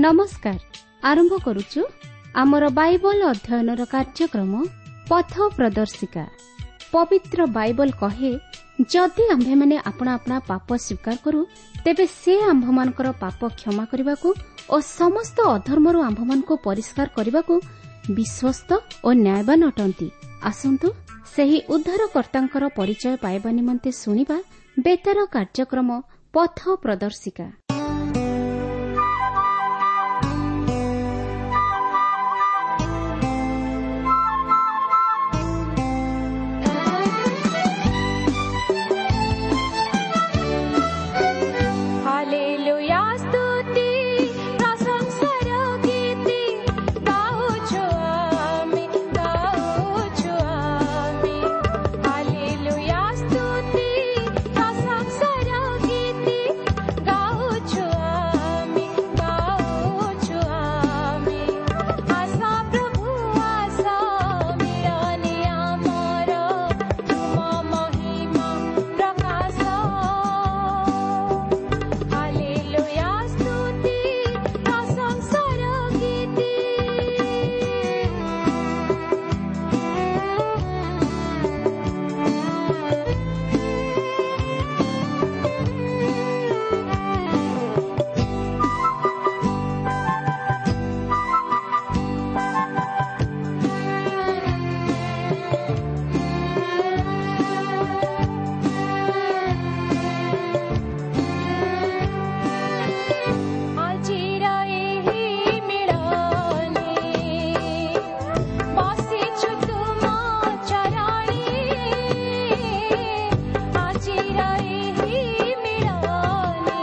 ନମସ୍କାର। ଆରମ୍ଭ କରୁଛୁ ଆମର ବାଇବଲ ଅଧ୍ୟୟନର କାର୍ଯ୍ୟକ୍ରମ ପଥ ପ୍ରଦର୍ଶିକା। ପବିତ୍ର ବାଇବଲ କହେ, ଯଦି ଆମ୍ଭେମାନେ ଆପଣା ଆପଣା ପାପ ସ୍ୱୀକାର କରୁ, ତେବେ ସେ ଆମ୍ଭମାନଙ୍କର ପାପ କ୍ଷମା କରିବାକୁ ଓ ସମସ୍ତ ଅଧର୍ମରୁ ଆମ୍ଭମାନଙ୍କୁ ପରିଷ୍କାର କରିବାକୁ ବିଶ୍ୱସ୍ତ ଓ ନ୍ୟାୟବାନ ଅଟନ୍ତି। ଆସନ୍ତୁ ସେହି ଉଦ୍ଧାରକର୍ତ୍ତାଙ୍କର ପରିଚୟ ପାଇବା ନିମନ୍ତେ ଶୁଣିବା ବେତାର କାର୍ଯ୍ୟକ୍ରମ ପଥ ପ୍ରଦର୍ଶିକା। ହାଲେଲୁୟା ସ୍ତୁତି ପ୍ରଶଂସାର ଗୀତି ଗାଉଛୁ ଆମେ, ଗାଉଛୁ ଆମେ। ହାଲେଲୁୟା ସ୍ତୁତି ପ୍ରଶଂସାର ଗୀତି ଗାଉଛୁ ଆମେ, ଗାଉଛୁ ଆମେ। ଆସ ପ୍ରଭୁ ଆସ, ମିଳନେ ଆମର ତୁମ ମହିମା ପ୍ରକାଶ। ହାଲେଲୁୟା ସ୍ତୁତି ପ୍ରଶଂସାର ଗୀତି। ଆଜିର ଏହି ମିଳନେ ବସିଛୁ ତୁମ ଚରଣେ। ଆଜିର ଏହି ମିଳନେ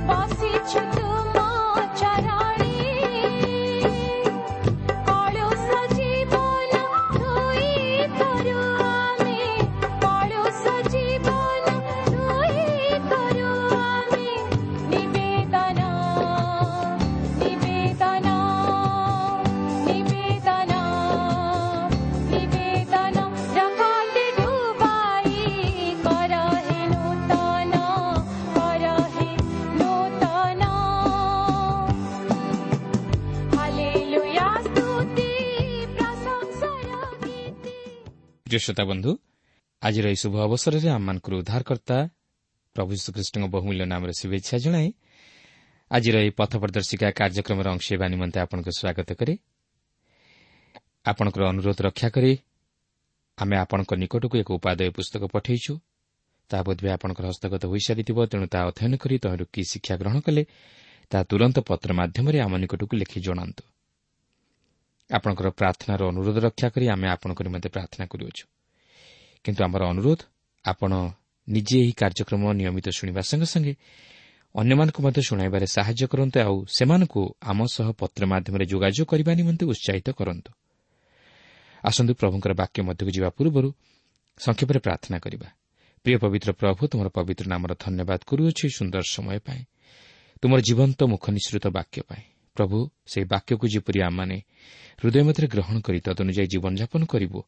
ବସିଛୁ ତୁମ ଚରଣେ। କଳୁଷ ଜୀବନ ଧୋଇ କରୁ ଆମେ, କଳୁଷ ଜୀବନ ଧୋଇ କରୁ ଆମେ। ନିବେଦନ, ନିବେଦନ, ନିବେଦନ, ନିବେଦନ। ରକତେ ଡୁବାଇ କର ହେ ନୂତନ, କର ହେ ନୂତନ। ହାଲେଲୁୟା ସ୍ତୁତି ପ୍ରଶଂସାର ଗୀତି। ପ୍ରିୟ ଶ୍ରୋତା ବନ୍ଧୁ, ଆଜିର ଏହି ଶୁଭ ଅବସରରେ ଆମମାନଙ୍କର ଉଦ୍ଧାରକର୍ତ୍ତା ପ୍ରଭୁ ଯୀଶୁଖ୍ରୀଷ୍ଟଙ୍କ ବହୁମୂଲ୍ୟ ନାମରେ ଶୁଭେଚ୍ଛା ଜଣାଇ ଆଜିର ଏହି ପଥ ପ୍ରଦର୍ଶିକା କାର୍ଯ୍ୟକ୍ରମର ଅଂଶ ହେବା ନିମନ୍ତେ ଆପଣଙ୍କୁ ସ୍ୱାଗତ କରେ। ଆପଣଙ୍କର ଅନୁରୋଧ ରକ୍ଷା କରି ଆମେ ଆପଣଙ୍କ ନିକଟକୁ ଏକ ଉପାଦେୟ ପୁସ୍ତକ ପଠାଇଛୁ। ତାହା ବୋଧହୁଏ ଆପଣଙ୍କର ହସ୍ତଗତ ହୋଇସାରିଥିବ। ତେଣୁ ତାହା ଅଧ୍ୟୟନ କରି ତହିଁରୁ କି ଶିକ୍ଷା ଗ୍ରହଣ କଲେ ତାହା ତୁରନ୍ତ ପତ୍ର ମାଧ୍ୟମରେ ଆମ ନିକଟକୁ ଲେଖି ଜଣାନ୍ତୁ। ଆପଣଙ୍କର ପ୍ରାର୍ଥନାର ଅନୁରୋଧ ରକ୍ଷା କରି ଆମେ ଆପଣଙ୍କ ନିମନ୍ତେ ପ୍ରାର୍ଥନା କରୁଅଛୁ। କିନ୍ତୁ ଆମର ଅନୁରୋଧ, ଆପଣ ନିଜେ ଏହି କାର୍ଯ୍ୟକ୍ରମ ନିୟମିତ ଶୁଣିବା ସଙ୍ଗେ ସଙ୍ଗେ ଅନ୍ୟମାନଙ୍କୁ ମଧ୍ୟ ଶୁଣାଇବାରେ ସାହାଯ୍ୟ କରନ୍ତୁ ଆଉ ସେମାନଙ୍କୁ ଆମ ସହ ପତ୍ର ମାଧ୍ୟମରେ ଯୋଗାଯୋଗ କରିବା ନିମନ୍ତେ ଉତ୍ସାହିତ କରନ୍ତୁ। ଆସନ୍ତୁ ପ୍ରଭୁଙ୍କର ବାକ୍ୟ ମଧ୍ୟକୁ ଯିବା ପୂର୍ବରୁ ସଂକ୍ଷେପରେ ପ୍ରାର୍ଥନା କରିବା। ପ୍ରିୟ ପବିତ୍ର ପ୍ରଭୁ, ତୁମର ପବିତ୍ର ନାମର ଧନ୍ୟବାଦ କରୁଅଛୁ ଏହି ସୁନ୍ଦର ସମୟ ପାଇଁ, ତୁମର ଜୀବନ୍ତ ମୁଖ ନିଃସୃତ ବାକ୍ୟ ପାଇଁ। ପ୍ରଭୁ, ସେହି ବାକ୍ୟକୁ ଯେପରି ଆମମାନେ ହୃଦୟ ମଧ୍ୟରେ ଗ୍ରହଣ କରି ତଦନୁଯାୟୀ ଜୀବନଯାପନ କରିବୁ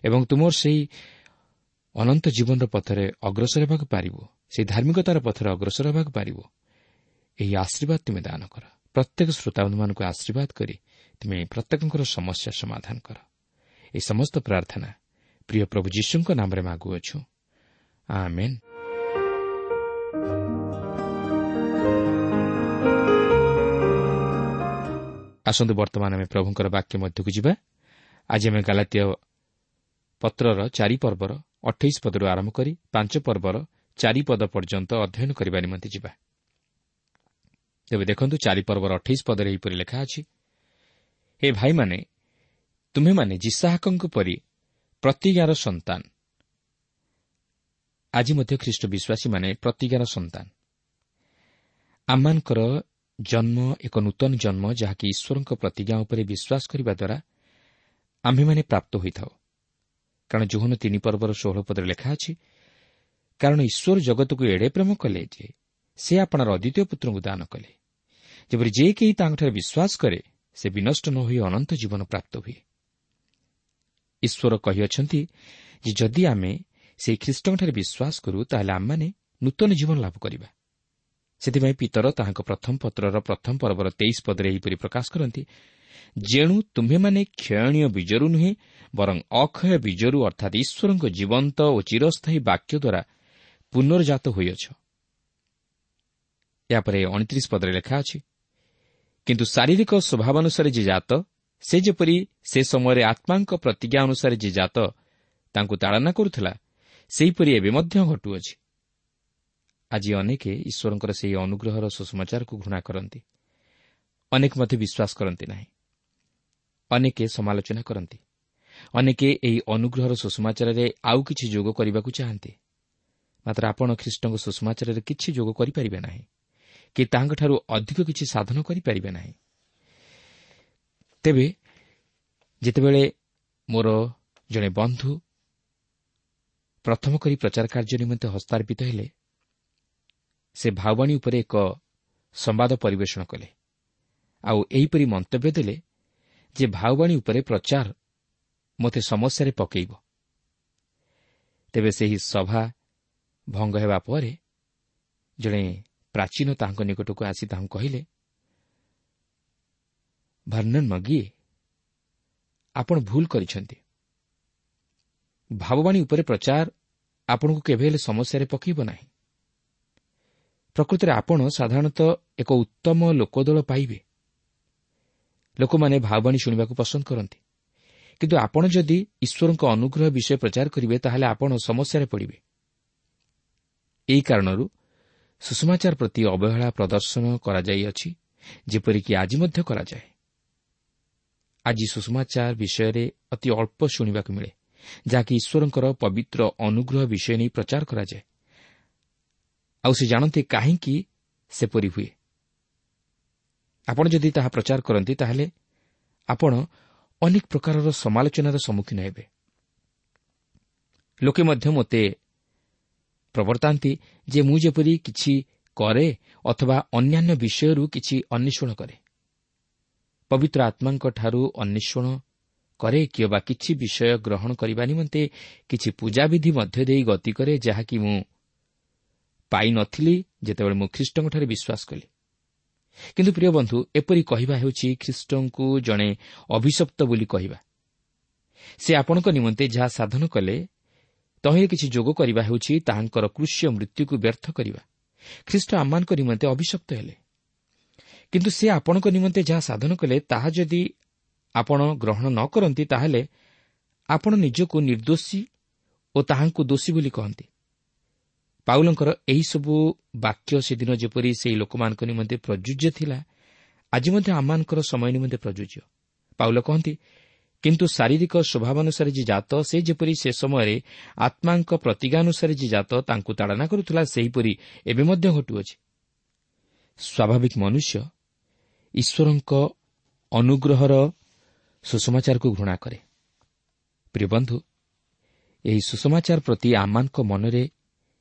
ଏବଂ ତୁମର ସେହି ଅନନ୍ତ ଜୀବନର ପଥରେ ଅଗ୍ରସର ହେବାକୁ ପାରିବୁ, ସେହି ଧାର୍ମିକତାର ପଥରେ ଅଗ୍ରସର ହେବାକୁ ପାରିବୁ, ଏହି ଆଶୀର୍ବାଦ ତୁମେ ଦାନ କର। ପ୍ରତ୍ୟେକ ଶ୍ରୋତାବନ୍ଧୁମାନଙ୍କୁ ଆଶୀର୍ବାଦ କରି ତୁମେ ପ୍ରତ୍ୟେକଙ୍କର ସମସ୍ୟା ସମାଧାନ କର। ଏହି ସମସ୍ତ ପ୍ରାର୍ଥନା ପ୍ରିୟ ପ୍ରଭୁ ଯୀଶୁଙ୍କ ନାମରେ ମାଗୁଅଛୁ, ଆମେନ୍। ଆସନ୍ତୁ ବର୍ତ୍ତମାନ ଆମେ ପ୍ରଭୁଙ୍କର ବାକ୍ୟ ମଧ୍ୟକୁ ଯିବା। ଆଜି ଆମେ ଗାଲାତୀୟ ପତ୍ରର 4 ପର୍ବର 28 ପଦରୁ ଆରମ୍ଭ କରି 5 ପର୍ବର 4 ପଦ ପର୍ଯ୍ୟନ୍ତ ଅଧ୍ୟୟନ କରିବା ନିମନ୍ତେ ଯିବା। ତେବେ ଦେଖନ୍ତୁ, 4 ପର୍ବର 28 ପଦରେ ଏହିପରି ଲେଖା ଅଛି, ହେ ଭାଇମାନେ, ତୁମ୍ଭେମାନେ ଯିସାହାକଙ୍କ ପରି ପ୍ରତିଜ୍ଞାର ସନ୍ତାନ। ଆଜି ମଧ୍ୟ ଖ୍ରୀଷ୍ଟ ବିଶ୍ୱାସୀମାନେ ପ୍ରତିଜ୍ଞାର ସନ୍ତାନ। ଆମମାନଙ୍କର ଜନ୍ମ ଏକ ନୂତନ ଜନ୍ମ, ଯାହାକି ଈଶ୍ୱରଙ୍କ ପ୍ରତିଜ୍ଞା ଉପରେ ବିଶ୍ୱାସ କରିବା ଦ୍ୱାରା ଆମ୍ଭେମାନେ ପ୍ରାପ୍ତ ହୋଇଥାଉ। କାରଣ ଯୋହନ 3 ପର୍ବର 16 ପଦରେ ଲେଖା ଅଛି, କାରଣ ଈଶ୍ୱର ଜଗତକୁ ଏଡ଼େ ପ୍ରେମ କଲେ ଯେ ସେ ଆପଣାର ଅଦ୍ୱିତୀୟ ପୁତ୍ରଙ୍କୁ ଦାନ କଲେ, ଯେପରି ଯେ କେହି ତାଙ୍କଠାରେ ବିଶ୍ୱାସ କରେ ସେ ବିନଷ୍ଟ ନ ହୋଇ ଅନନ୍ତ ଜୀବନ ପ୍ରାପ୍ତ ହୁଏ। ଈଶ୍ୱର କହିଅଛନ୍ତି ଯେ ଯଦି ଆମେ ସେହି ଖ୍ରୀଷ୍ଟଙ୍କଠାରେ ବିଶ୍ୱାସ କରୁ, ତାହେଲେ ଆମମାନେ ନୂତନ ଜୀବନ ଲାଭ କରିବା। ସେଥିପାଇଁ ପିତର ତାହାଙ୍କ ପ୍ରଥମ ପତ୍ରର ପ୍ରଥମ ପର୍ବର 23 ପଦରେ ଏହିପରି ପ୍ରକାଶ କରନ୍ତି, ଯେଣୁ ତୁମ୍ଭେମାନେ କ୍ଷୟଣୀୟ ବୀଜରୁ ନୁହେଁ, ବରଂ ଅକ୍ଷୟ ବୀଜରୁ, ଅର୍ଥାତ୍ ଈଶ୍ୱରଙ୍କ ଜୀବନ୍ତ ଓ ଚିରସ୍ଥାୟୀ ବାକ୍ୟ ଦ୍ୱାରା ପୁନର୍ଜାତ ହୋଇଅଛ। ଏହାପରେ 29 ପଦରେ ଲେଖା ଅଛି, କିନ୍ତୁ ଶାରୀରିକ ସ୍ୱଭାବାନୁସାରେ ଯେ ଜାତ, ସେ ଯେପରି ସେ ସମୟରେ ଆତ୍ମାଙ୍କ ପ୍ରତିଜ୍ଞା ଅନୁସାରେ ଯେ ଜାତ ତାଙ୍କୁ ତାଡ଼ନା କରୁଥିଲା, ସେହିପରି ଏବେ ମଧ୍ୟ ଘଟୁଅଛି। ଆଜି ଅନେକେ ଈଶ୍ୱରଙ୍କର ସେହି ଅନୁଗ୍ରହର ସୁସମାଚାରକୁ ଘୃଣା କରନ୍ତି। ଅନେକ ମଧ୍ୟ ବିଶ୍ୱାସ କରନ୍ତି ନାହିଁ। ଅନେକେ ସମାଲୋଚନା କରନ୍ତି। ଅନେକେ ଏହି ଅନୁଗ୍ରହର ସୁସମାଚାରରେ ଆଉ କିଛି ଯୋଗ କରିବାକୁ ଚାହାନ୍ତି। ମାତ୍ର ଆପଣ ଖ୍ରୀଷ୍ଟଙ୍କ ସୁସମାଚାରରେ କିଛି ଯୋଗ କରିପାରିବେ ନାହିଁ କି ତାହାଙ୍କଠାରୁ ଅଧିକ କିଛି ସାଧନ କରିପାରିବେ ନାହିଁ। ତେବେ ଯେତେବେଳେ ମୋର ଜଣେ ବନ୍ଧୁ ପ୍ରଥମ କରି ପ୍ରଚାର କାର୍ଯ୍ୟ ନିମନ୍ତେ ହସ୍ତାର୍ପିତ ହେଲେ, ସେ ଭାବବାଣୀ ଉପରେ ଏକ ସମ୍ବାଦ ପରିବେଷଣ କଲେ ଆଉ ଏହିପରି ମନ୍ତବ୍ୟ ଦେଲେ ଯେ ଭାବବାଣୀ ଉପରେ ପ୍ରଚାର ମୋତେ ସମସ୍ୟାରେ ପକାଇବ। ତେବେ ସେହି ସଭା ଭଙ୍ଗ ହେବା ପରେ ଜଣେ ପ୍ରାଚୀନ ତାହାଙ୍କ ନିକଟକୁ ଆସି ତାହାଙ୍କୁ କହିଲେ, ଭର୍ଣ୍ଣନ ମଗିଏ, ଆପଣ ଭୁଲ କରିଛନ୍ତି। ଭାବବାଣୀ ଉପରେ ପ୍ରଚାର ଆପଣଙ୍କୁ କେବେ ହେଲେ ସମସ୍ୟାରେ ପକାଇବ ନାହିଁ। ପ୍ରକୃତରେ ଆପଣ ସାଧାରଣତଃ ଏକ ଉତ୍ତମ ଲୋକଦଳ ପାଇବେ। ଲୋକମାନେ ଭାବବାଣୀ ଶୁଣିବାକୁ ପସନ୍ଦ କରନ୍ତି, କିନ୍ତୁ ଆପଣ ଯଦି ଈଶ୍ୱରଙ୍କ ଅନୁଗ୍ରହ ବିଷୟ ପ୍ରଚାର କରିବେ, ତାହେଲେ ଆପଣ ସମସ୍ୟାରେ ପଡ଼ିବେ। ଏହି କାରଣରୁ ସୁସମାଚାର ପ୍ରତି ଅବହେଳା ପ୍ରଦର୍ଶନ କରାଯାଇଅଛି, ଯେପରିକି ଆଜି ମଧ୍ୟ କରାଯାଏ। ଆଜି ସୁସମାଚାର ବିଷୟରେ ଅତି ଅଳ୍ପ ଶୁଣିବାକୁ ମିଳେ, ଯାହାକି ଈଶ୍ୱରଙ୍କର ପବିତ୍ର ଅନୁଗ୍ରହ ବିଷୟ ନେଇ ପ୍ରଚାର କରାଯାଏ। ଆଉ ସେ ଜାଣନ୍ତି କାହିଁକି ସେପରି ହୁଏ। ଆପଣ ଯଦି ତାହା ପ୍ରଚାର କରନ୍ତି, ତାହେଲେ ଆପଣ ଅନେକ ପ୍ରକାରର ସମାଲୋଚନାର ସମ୍ମୁଖୀନ ହେବେ। ଲୋକେ ମଧ୍ୟ ମୋତେ ପ୍ରବର୍ତ୍ତାନ୍ତି ଯେ ମୁଁ ଯେପରି କିଛି କରେ ଅଥବା ଅନ୍ୟାନ୍ୟ ବିଷୟରୁ କିଛି ଅନ୍ୱେଷଣ କରେ, ପବିତ୍ର ଆତ୍ମାଙ୍କଠାରୁ ଅନ୍ୱେଷଣ କରେ କିମ୍ବା କିଛି ବିଷୟ ଗ୍ରହଣ କରିବା ନିମନ୍ତେ କିଛି ପୂଜାବିଧି ମଧ୍ୟ ଦେଇ ଗତି କରେ, ଯାହାକି ମୁଁ ପାଇନଥିଲି ଯେତେବେଳେ ମୁଁ ଖ୍ରୀଷ୍ଟଙ୍କଠାରେ ବିଶ୍ୱାସ କଲି। କିନ୍ତୁ ପ୍ରିୟ ବନ୍ଧୁ, ଏପରି କହିବା ହେଉଛି ଖ୍ରୀଷ୍ଟଙ୍କୁ ଜଣେ ଅଭିଶପ୍ତ ବୋଲି କହିବା। ସେ ଆପଣଙ୍କ ନିମନ୍ତେ ଯାହା ସାଧନ କଲେ, ତହିଁରେ କିଛି ଯୋଗ କରିବା ହେଉଛି ତାହାଙ୍କର କୃଷ୍ୟ ମୃତ୍ୟୁକୁ ବ୍ୟର୍ଥ କରିବା। ଖ୍ରୀଷ୍ଟ ଆମମାନଙ୍କ ନିମନ୍ତେ ଅଭିଶପ୍ତ ହେଲେ, କିନ୍ତୁ ସେ ଆପଣଙ୍କ ନିମନ୍ତେ ଯାହା ସାଧନ କଲେ, ତାହା ଯଦି ଆପଣ ଗ୍ରହଣ ନ କରନ୍ତି, ତାହେଲେ ଆପଣ ନିଜକୁ ନିର୍ଦ୍ଦୋଷୀ ଓ ତାହାଙ୍କୁ ଦୋଷୀ ବୋଲି କହନ୍ତି। ପାଉଲଙ୍କର ଏହିସବୁ ବାକ୍ୟ ସେଦିନ ଯେପରି ସେହି ଲୋକମାନଙ୍କ ନିମନ୍ତେ ପ୍ରଯୁଜ୍ୟ ଥିଲା, ଆଜି ମଧ୍ୟ ଆମମାନଙ୍କର ସମୟ ନିମନ୍ତେ ପ୍ରଯୁଜ୍ୟ। ପାଉଲ କହନ୍ତି, କିନ୍ତୁ ଶାରୀରିକ ସ୍ୱଭାବାନୁସାରେ ଯେ ଜାତ, ସେ ଯେପରି ସେ ସମୟରେ ଆତ୍ମାଙ୍କ ପ୍ରତିଜ୍ଞାନୁସାରେ ଯେ ଜାତ ତାଙ୍କୁ ତାଡ଼ନା କରୁଥିଲା, ସେହିପରି ଏବେ ମଧ୍ୟ ଘଟୁଅଛି। ସ୍ୱାଭାବିକ ମନୁଷ୍ୟ ଈଶ୍ୱରଙ୍କ ଅନୁଗ୍ରହର ସୁସମାଚାରକୁ ଘୃଣା କରେ। ପ୍ରିୟ ବନ୍ଧୁ, ଏହି ସୁସମାଚାର ପ୍ରତି ଆମମାନଙ୍କ ମନରେ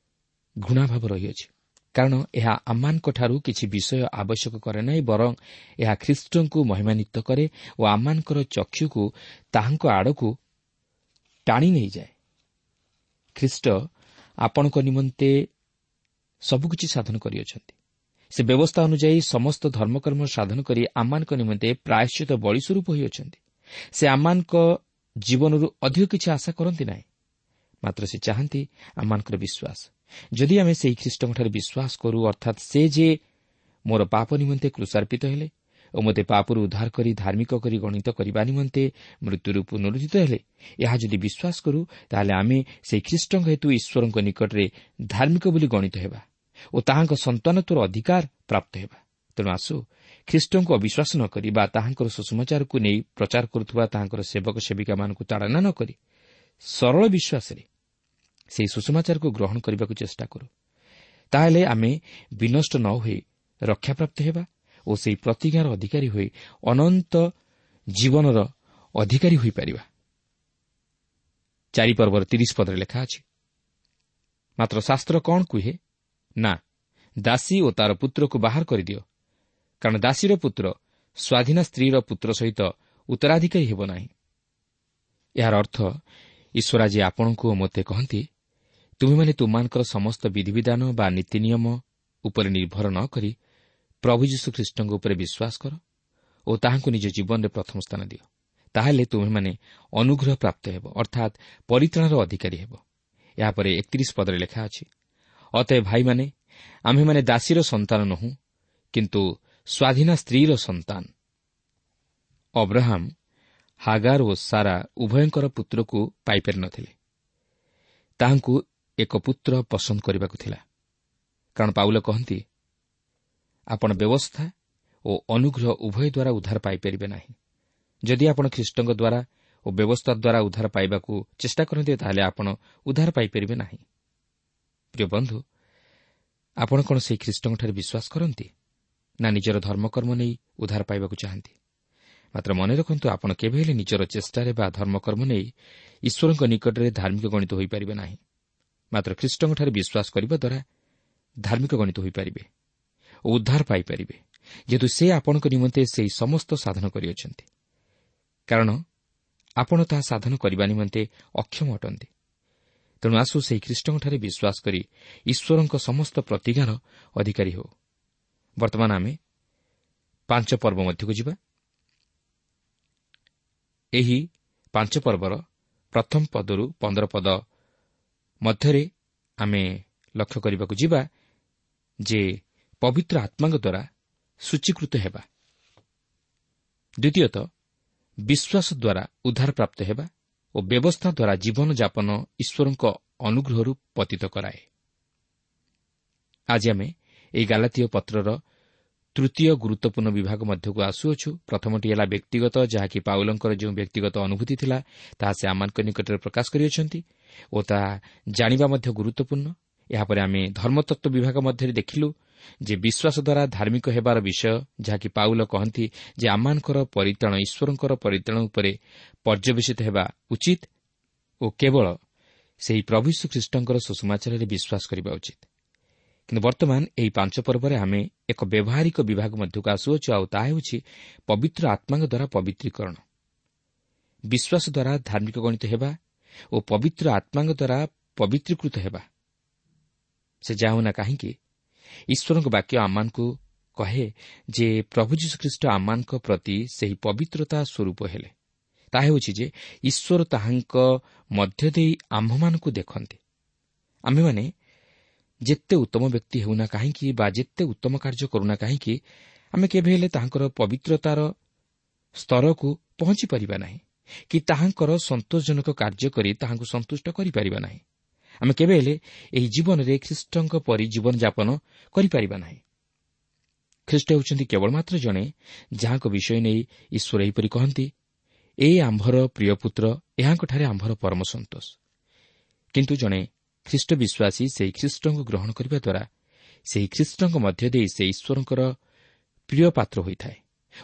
ଘୃଣାଭାବ ରହିଅଛି, କାରଣ ଏହା ଆମମାନଙ୍କଠାରୁ କିଛି ବିଷୟ ଆବଶ୍ୟକ କରେ ନାହିଁ, ବରଂ ଏହା ଖ୍ରୀଷ୍ଟଙ୍କୁ ମହିମାନ୍ୱିତ କରେ ଓ ଆମମାନଙ୍କର ଚକ୍ଷୁକୁ ତାହାଙ୍କ ଆଡ଼କୁ ଟାଣି ନେଇଯାଏ। ଖ୍ରୀଷ୍ଟ ଆପଣଙ୍କ ନିମନ୍ତେ ସବୁକିଛି ସାଧନ କରିଅଛନ୍ତି। ସେ ବ୍ୟବସ୍ଥା ଅନୁଯାୟୀ ସମସ୍ତ ଧର୍ମକର୍ମ ସାଧନ କରି ଆମମାନଙ୍କ ନିମନ୍ତେ ପ୍ରାୟଶ୍ଚିତ ବଳି ସ୍ୱରୂପ ହୋଇଅଛନ୍ତି। ସେ ଆମମାନଙ୍କ ଜୀବନରୁ ଅଧିକ କିଛି ଆଶା କରନ୍ତି ନାହିଁ, ମାତ୍ର ସେ ଚାହାନ୍ତି ଆମମାନଙ୍କର ବିଶ୍ୱାସ। ଯଦି ଆମେ ସେହି ଖ୍ରୀଷ୍ଟଙ୍କଠାରେ ବିଶ୍ୱାସ କରୁ, ଅର୍ଥାତ୍ ସେ ଯେ ମୋର ପାପ ନିମନ୍ତେ କ୍ରୁଶାର୍ପିତ ହେଲେ ଓ ମୋତେ ପାପରୁ ଉଦ୍ଧାର କରି ଧାର୍ମିକ କରି ଗଣିତ କରିବା ନିମନ୍ତେ ମୃତ୍ୟୁରୁ ପୁନରୁଦ୍ଧିତ ହେଲେ, ଏହା ଯଦି ବିଶ୍ୱାସ କରୁ, ତାହେଲେ ଆମେ ସେହି ଖ୍ରୀଷ୍ଟଙ୍କ ହେତୁ ଈଶ୍ୱରଙ୍କ ନିକଟରେ ଧାର୍ମିକ ବୋଲି ଗଣିତ ହେବା ଓ ତାହାଙ୍କ ସନ୍ତାନତ୍ୱର ଅଧିକାର ପ୍ରାପ୍ତ ହେବା। ତେଣୁ ଆସୁ ଖ୍ରୀଷ୍ଟଙ୍କୁ ଅବିଶ୍ୱାସ ନ କରି ବା ତାହାଙ୍କର ସୁସମାଚାରକୁ ନେଇ ପ୍ରଚାର କରୁଥିବା ତାହାଙ୍କର ସେବକ ସେବିକାମାନଙ୍କୁ ତାଡ଼ନା ନ କରି ସରଳ ବିଶ୍ୱାସରେ ସେହି ସୁସମାଚାରକୁ ଗ୍ରହଣ କରିବାକୁ ଚେଷ୍ଟା କରୁ। ତାହେଲେ ଆମେ ବିନଷ୍ଟ ନ ହୋଇ ରକ୍ଷାପ୍ରାପ୍ତ ହେବା ଓ ସେହି ପ୍ରତିଜ୍ଞାର ଅଧିକାରୀ ହୋଇ ଅନନ୍ତ ଜୀବନର ଅଧିକାରୀ ହୋଇପାରିବା। 4 ପର୍ବର 30 ପଦରେ ଲେଖା ଅଛି, ମାତ୍ର ଶାସ୍ତ୍ର କ'ଣ କୁହେ? ନା, ଦାସୀ ଓ ତାର ପୁତ୍ରକୁ ବାହାର କରିଦିଅ, କାରଣ ଦାସୀର ପୁତ୍ର ସ୍ୱାଧୀନା ସ୍ତ୍ରୀର ପୁତ୍ର ସହିତ ଉତ୍ତରାଧିକାରୀ ହେବ ନାହିଁ। ଏହାର ଅର୍ଥ ଈଶ୍ୱର ଆଜି ଆପଣଙ୍କୁ ଓ ମୋତେ କହନ୍ତି, ତୁମେମାନେ ତୁମମାନଙ୍କର ସମସ୍ତ ବିଧିବିଧାନ ବା ନୀତି ନିୟମ ଉପରେ ନିର୍ଭର ନ କରି ପ୍ରଭୁ ଯୀଶୁଖ୍ରୀଷ୍ଟଙ୍କ ଉପରେ ବିଶ୍ୱାସ କର ଓ ତାହାଙ୍କୁ ନିଜ ଜୀବନରେ ପ୍ରଥମ ସ୍ଥାନ ଦିଅ। ତାହେଲେ ତୁମେମାନେ ଅନୁଗ୍ରହ ପ୍ରାପ୍ତ ହେବ, ଅର୍ଥାତ୍ ପରିତ୍ରାଣର ଅଧିକାରୀ ହେବ। ଏହାପରେ 31 ପଦରେ ଲେଖା ଅଛି, ଅତଏବ ଭାଇମାନେ, ଆମ୍ଭେମାନେ ଦାସୀର ସନ୍ତାନ ନୋହୁଁ, କିନ୍ତୁ ସ୍ୱାଧୀନା ସ୍ତ୍ରୀର ସନ୍ତାନ। ଅବ୍ରାହମ ହାଗାର ଓ ସାରା ଉଭୟଙ୍କର ପୁତ୍ରକୁ ପାଇପାରିନଥିଲେ। ତାହାଙ୍କୁ ଏକ ପୁତ୍ର ପସନ୍ଦ କରିବାକୁ ଥିଲା, କାରଣ ପାଉଲ କହନ୍ତି, ଆପଣ ବ୍ୟବସ୍ଥା ଓ ଅନୁଗ୍ରହ ଉଭୟ ଦ୍ୱାରା ଉଦ୍ଧାର ପାଇପାରିବେ ନାହିଁ। ଯଦି ଆପଣ ଖ୍ରୀଷ୍ଟଙ୍କ ଦ୍ୱାରା ଓ ବ୍ୟବସ୍ଥା ଦ୍ୱାରା ଉଦ୍ଧାର ପାଇବାକୁ ଚେଷ୍ଟା କରନ୍ତି, ତାହେଲେ ଆପଣ ଉଦ୍ଧାର ପାଇପାରିବେ ନାହିଁ। ପ୍ରିୟ ବନ୍ଧୁ, ଆପଣ କ'ଣ ସେହି ଖ୍ରୀଷ୍ଟଙ୍କଠାରେ ବିଶ୍ୱାସ କରନ୍ତି ନା ନିଜର ଧର୍ମକର୍ମ ନେଇ ଉଦ୍ଧାର ପାଇବାକୁ ଚାହାନ୍ତି? ମାତ୍ର ମନେ ରଖନ୍ତୁ, ଆପଣ କେବେ ହେଲେ ନିଜର ଚେଷ୍ଟାରେ ବା ଧର୍ମକର୍ମ ନେଇ ଈଶ୍ୱରଙ୍କ ନିକଟରେ ଧାର୍ମିକ ଗଣିତ ହୋଇପାରିବେ ନାହିଁ। ମାତ୍ର ଖ୍ରୀଷ୍ଟଙ୍କଠାରେ ବିଶ୍ୱାସ କରିବା ଦ୍ୱାରା ଧାର୍ମିକ ଗଣିତ ହୋଇପାରିବେ ଓ ଉଦ୍ଧାର ପାଇପାରିବେ, ଯେହେତୁ ସେ ଆପଣଙ୍କ ନିମନ୍ତେ ସେହି ସମସ୍ତ ସାଧନ କରିଅଛନ୍ତି। କାରଣ ଆପଣ ତାହା ସାଧନ କରିବା ନିମନ୍ତେ ଅକ୍ଷମ ଅଟନ୍ତି। ତେଣୁ ଆସୁ ସେହି ଖ୍ରୀଷ୍ଟଙ୍କଠାରେ ବିଶ୍ୱାସ କରି ଈଶ୍ୱରଙ୍କ ସମସ୍ତ ପ୍ରତିଜ୍ଞାର ଅଧିକାରୀ ହେଉ। ବର୍ତ୍ତମାନ ଆମେ 5 ପର୍ବ ମଧ୍ୟକୁ ଯିବା। ଏହି 5 ପର୍ବର ପ୍ରଥମ ପଦରୁ 15 ପଦ ମଧ୍ୟରେ ଆମେ ଲକ୍ଷ୍ୟ କରିବାକୁ ଯିବା ଯେ ପବିତ୍ର ଆତ୍ମାଙ୍କ ଦ୍ୱାରା ସୂଚୀକୃତ ହେବା, ଦ୍ୱିତୀୟତଃ ବିଶ୍ୱାସ ଦ୍ୱାରା ଉଦ୍ଧାର ପ୍ରାପ୍ତ ହେବା ଓ ବ୍ୟବସ୍ଥା ଦ୍ୱାରା ଜୀବନଯାପନ ଈଶ୍ୱରଙ୍କ ଅନୁଗ୍ରହରୁ ପତିତ କରାଏ। ଆଜି ଆମେ ଏହି ଗାଲାତୀୟ ପତ୍ରର ତୃତୀୟ ଗୁରୁତ୍ୱପୂର୍ଣ୍ଣ ବିଭାଗ ମଧ୍ୟକୁ ଆସୁଅଛୁ। ପ୍ରଥମଟି ହେଲା ବ୍ୟକ୍ତିଗତ, ଯାହାକି ପାଉଲଙ୍କର ଯେଉଁ ବ୍ୟକ୍ତିଗତ ଅନୁଭୂତି ଥିଲା ତାହା ସେ ଆମମାନଙ୍କ ନିକଟରେ ପ୍ରକାଶ କରିଅଛନ୍ତି ଓ ତାହା ଜାଣିବା ମଧ୍ୟ ଗୁରୁତ୍ୱପୂର୍ଣ୍ଣ। ଏହାପରେ ଆମେ ଧର୍ମତତ୍ତ୍ୱ ବିଭାଗ ମଧ୍ୟରେ ଦେଖିଲୁ ଯେ ବିଶ୍ୱାସ ଦ୍ୱାରା ଧାର୍ମିକ ହେବାର ବିଷୟ, ଯାହାକି ପାଉଲ କହନ୍ତି ଯେ ଆମମାନଙ୍କର ପରିତ୍ରାଣ ଈଶ୍ୱରଙ୍କର ପରିତ୍ରାଣ ଉପରେ ପର୍ଯ୍ୟବେସିତ ହେବା ଉଚିତ ଓ କେବଳ ସେହି ପ୍ରଭୁ ଯୀଶୁ ଖ୍ରୀଷ୍ଟଙ୍କର ସୁସମାଚାରରେ ବିଶ୍ୱାସ କରିବା ଉଚିତ। କିନ୍ତୁ ବର୍ତ୍ତମାନ ଏହି 5 ପର୍ବରେ ଆମେ ଏକ ବ୍ୟବହାରିକ ବିଭାଗ ମଧ୍ୟକୁ ଆସୁଅଛୁ, ଆଉ ତାହା ହେଉଛି ପବିତ୍ର ଆତ୍ମାଙ୍କ ଦ୍ୱାରା ପବିତ୍ରୀକରଣ। ବିଶ୍ୱାସ ଦ୍ୱାରା ଧାର୍ମିକ ଗଣିତ ହେବା ଓ ପବିତ୍ର ଆତ୍ମାଙ୍କ ଦ୍ୱାରା ପବିତ୍ରୀକୃତ ହେବା। ସେ ଯାହା ହେଉନା କାହିଁକି, ଈଶ୍ୱରଙ୍କ ବାକ୍ୟ ଆମମାନଙ୍କୁ କହେ ଯେ ପ୍ରଭୁ ଯୀଶୁଖ୍ରୀଷ୍ଟ ଆମମାନଙ୍କ ପ୍ରତି ସେହି ପବିତ୍ରତା ସ୍ୱରୂପ ହେଲେ। ତାହା ହେଉଛି ଯେ ଈଶ୍ୱର ତାହାଙ୍କ ମଧ୍ୟ ଦେଇ ଆମ୍ଭମାନଙ୍କୁ ଦେଖନ୍ତି। ଆମ୍ଭେମାନେ ଯେତେ ଉତ୍ତମ ବ୍ୟକ୍ତି ହେଉନା କାହିଁକି ବା ଯେତେ ଉତ୍ତମ କାର୍ଯ୍ୟ କରୁନା କାହିଁକି, ଆମେ କେବେ ହେଲେ ତାହାଙ୍କର ପବିତ୍ରତାର ସ୍ତରକୁ ପହଞ୍ଚି ପାରିବା ନାହିଁ କି ତାହାଙ୍କର ସନ୍ତୋଷଜନକ କାର୍ଯ୍ୟ କରି ତାହାଙ୍କୁ ସନ୍ତୁଷ୍ଟ କରିପାରିବା ନାହିଁ। ଆମେ କେବେ ହେଲେ ଏହି ଜୀବନରେ ଖ୍ରୀଷ୍ଟଙ୍କ ପରି ଜୀବନଯାପନ କରିପାରିବା ନାହିଁ। ଖ୍ରୀଷ୍ଟ ହେଉଛନ୍ତି କେବଳ ମାତ୍ର ଜଣେ ଯାହାଙ୍କ ବିଷୟ ନେଇ ଈଶ୍ୱର ଏହିପରି କହନ୍ତି, ଏ ଆମ୍ଭର ପ୍ରିୟ ପୁତ୍ର, ଏହାଙ୍କଠାରେ ଆମ୍ଭର ପରମ ସନ୍ତୋଷ। କିନ୍ତୁ ଜଣେ ଖ୍ରୀଷ୍ଟ ବିଶ୍ୱାସୀ ସେହି ଖ୍ରୀଷ୍ଟଙ୍କୁ ଗ୍ରହଣ କରିବା ଦ୍ୱାରା ସେହି ଖ୍ରୀଷ୍ଟଙ୍କ ମଧ୍ୟ ଦେଇ ସେ ଈଶ୍ୱରଙ୍କର ପ୍ରିୟ ପାତ୍ର ହୋଇଥାଏ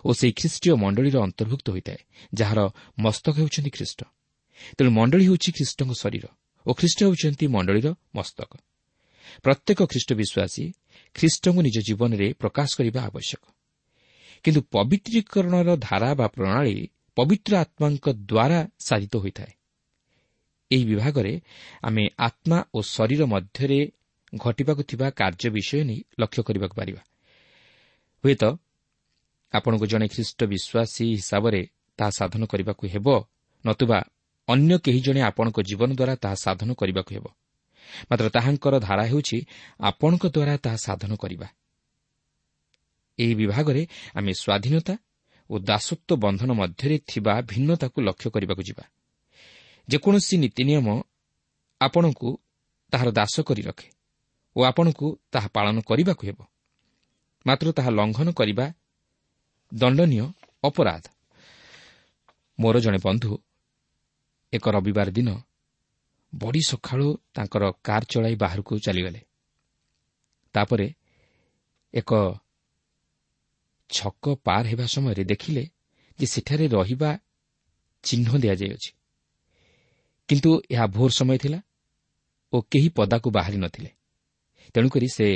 ଓ ସେହି ଖ୍ରୀଷ୍ଟୀୟ ମଣ୍ଡଳୀର ଅନ୍ତର୍ଭୁକ୍ତ ହୋଇଥାଏ, ଯାହାର ମସ୍ତକ ହେଉଛନ୍ତି ଖ୍ରୀଷ୍ଟ। ତେଣୁ ମଣ୍ଡଳୀ ହେଉଛି ଖ୍ରୀଷ୍ଟଙ୍କ ଶରୀର ଓ ଖ୍ରୀଷ୍ଟ ହେଉଛନ୍ତି ମଣ୍ଡଳୀର ମସ୍ତକ। ପ୍ରତ୍ୟେକ ଖ୍ରୀଷ୍ଟ ବିଶ୍ୱାସୀ ଖ୍ରୀଷ୍ଟଙ୍କୁ ନିଜ ଜୀବନରେ ପ୍ରକାଶ କରିବା ଆବଶ୍ୟକ। କିନ୍ତୁ ପବିତ୍ରୀକରଣର ଧାରା ବା ପ୍ରଣାଳୀ ପବିତ୍ର ଆତ୍ମାଙ୍କ ଦ୍ୱାରା ସାଧିତ ହୋଇଥାଏ। ଏହି ବିଭାଗରେ ଆମେ ଆତ୍ମା ଓ ଶରୀର ମଧ୍ୟରେ ଘଟିବାକୁ ଥିବା କାର୍ଯ୍ୟ ବିଷୟ ନେଇ ଲକ୍ଷ୍ୟ କରିବାକୁ ପାରିବା। ହୁଏତ ଆପଣଙ୍କୁ ଜଣେ ଖ୍ରୀଷ୍ଟ ବିଶ୍ୱାସୀ ହିସାବରେ ତାହା ସାଧନ କରିବାକୁ ହେବ, ନତୁବା ଅନ୍ୟ କେହି ଜଣେ ଆପଣଙ୍କ ଜୀବନ ଦ୍ୱାରା ତାହା ସାଧନ କରିବାକୁ ହେବ। ମାତ୍ର ତାହାଙ୍କର ଧାରା ହେଉଛି ଆପଣଙ୍କ ଦ୍ୱାରା ତାହା ସାଧନ କରିବା। ଏହି ବିଭାଗରେ ଆମେ ସ୍ୱାଧୀନତା ଓ ଦାସତ୍ୱ ବନ୍ଧନ ମଧ୍ୟରେ ଥିବା ଭିନ୍ନତାକୁ ଲକ୍ଷ୍ୟ କରିବାକୁ ଯିବା। ଯେକୌଣସି ନୀତି ନିୟମ ଆପଣଙ୍କୁ ତାହାର ଦାସ କରି ରଖେ ଓ ଆପଣଙ୍କୁ ତାହା ପାଳନ କରିବାକୁ ହେବ, ମାତ୍ର ତାହା ଲଙ୍ଘନ କରିବା ଦଣ୍ଡନୀୟ ଅପରାଧ। ମୋର ଜଣେ ବନ୍ଧୁ ଏକ ରବିବାର ଦିନ ବଡ଼ି ସକାଳୁ ତାଙ୍କର କାର୍ ଚଳାଇ ବାହାରକୁ ଚାଲିଗଲେ। ତାପରେ ଏକ ଛକ ପାର ହେବା ସମୟରେ ଦେଖିଲେ ଯେ ସେଠାରେ ରହିବା ଚିହ୍ନ ଦିଆଯାଇଅଛି, କିନ୍ତୁ ଏହା ଭୋର ସମୟ ଥିଲା ଓ କେହି ପଦାକୁ ବାହାରି ନଥିଲେ। ତେଣୁକରି ସେ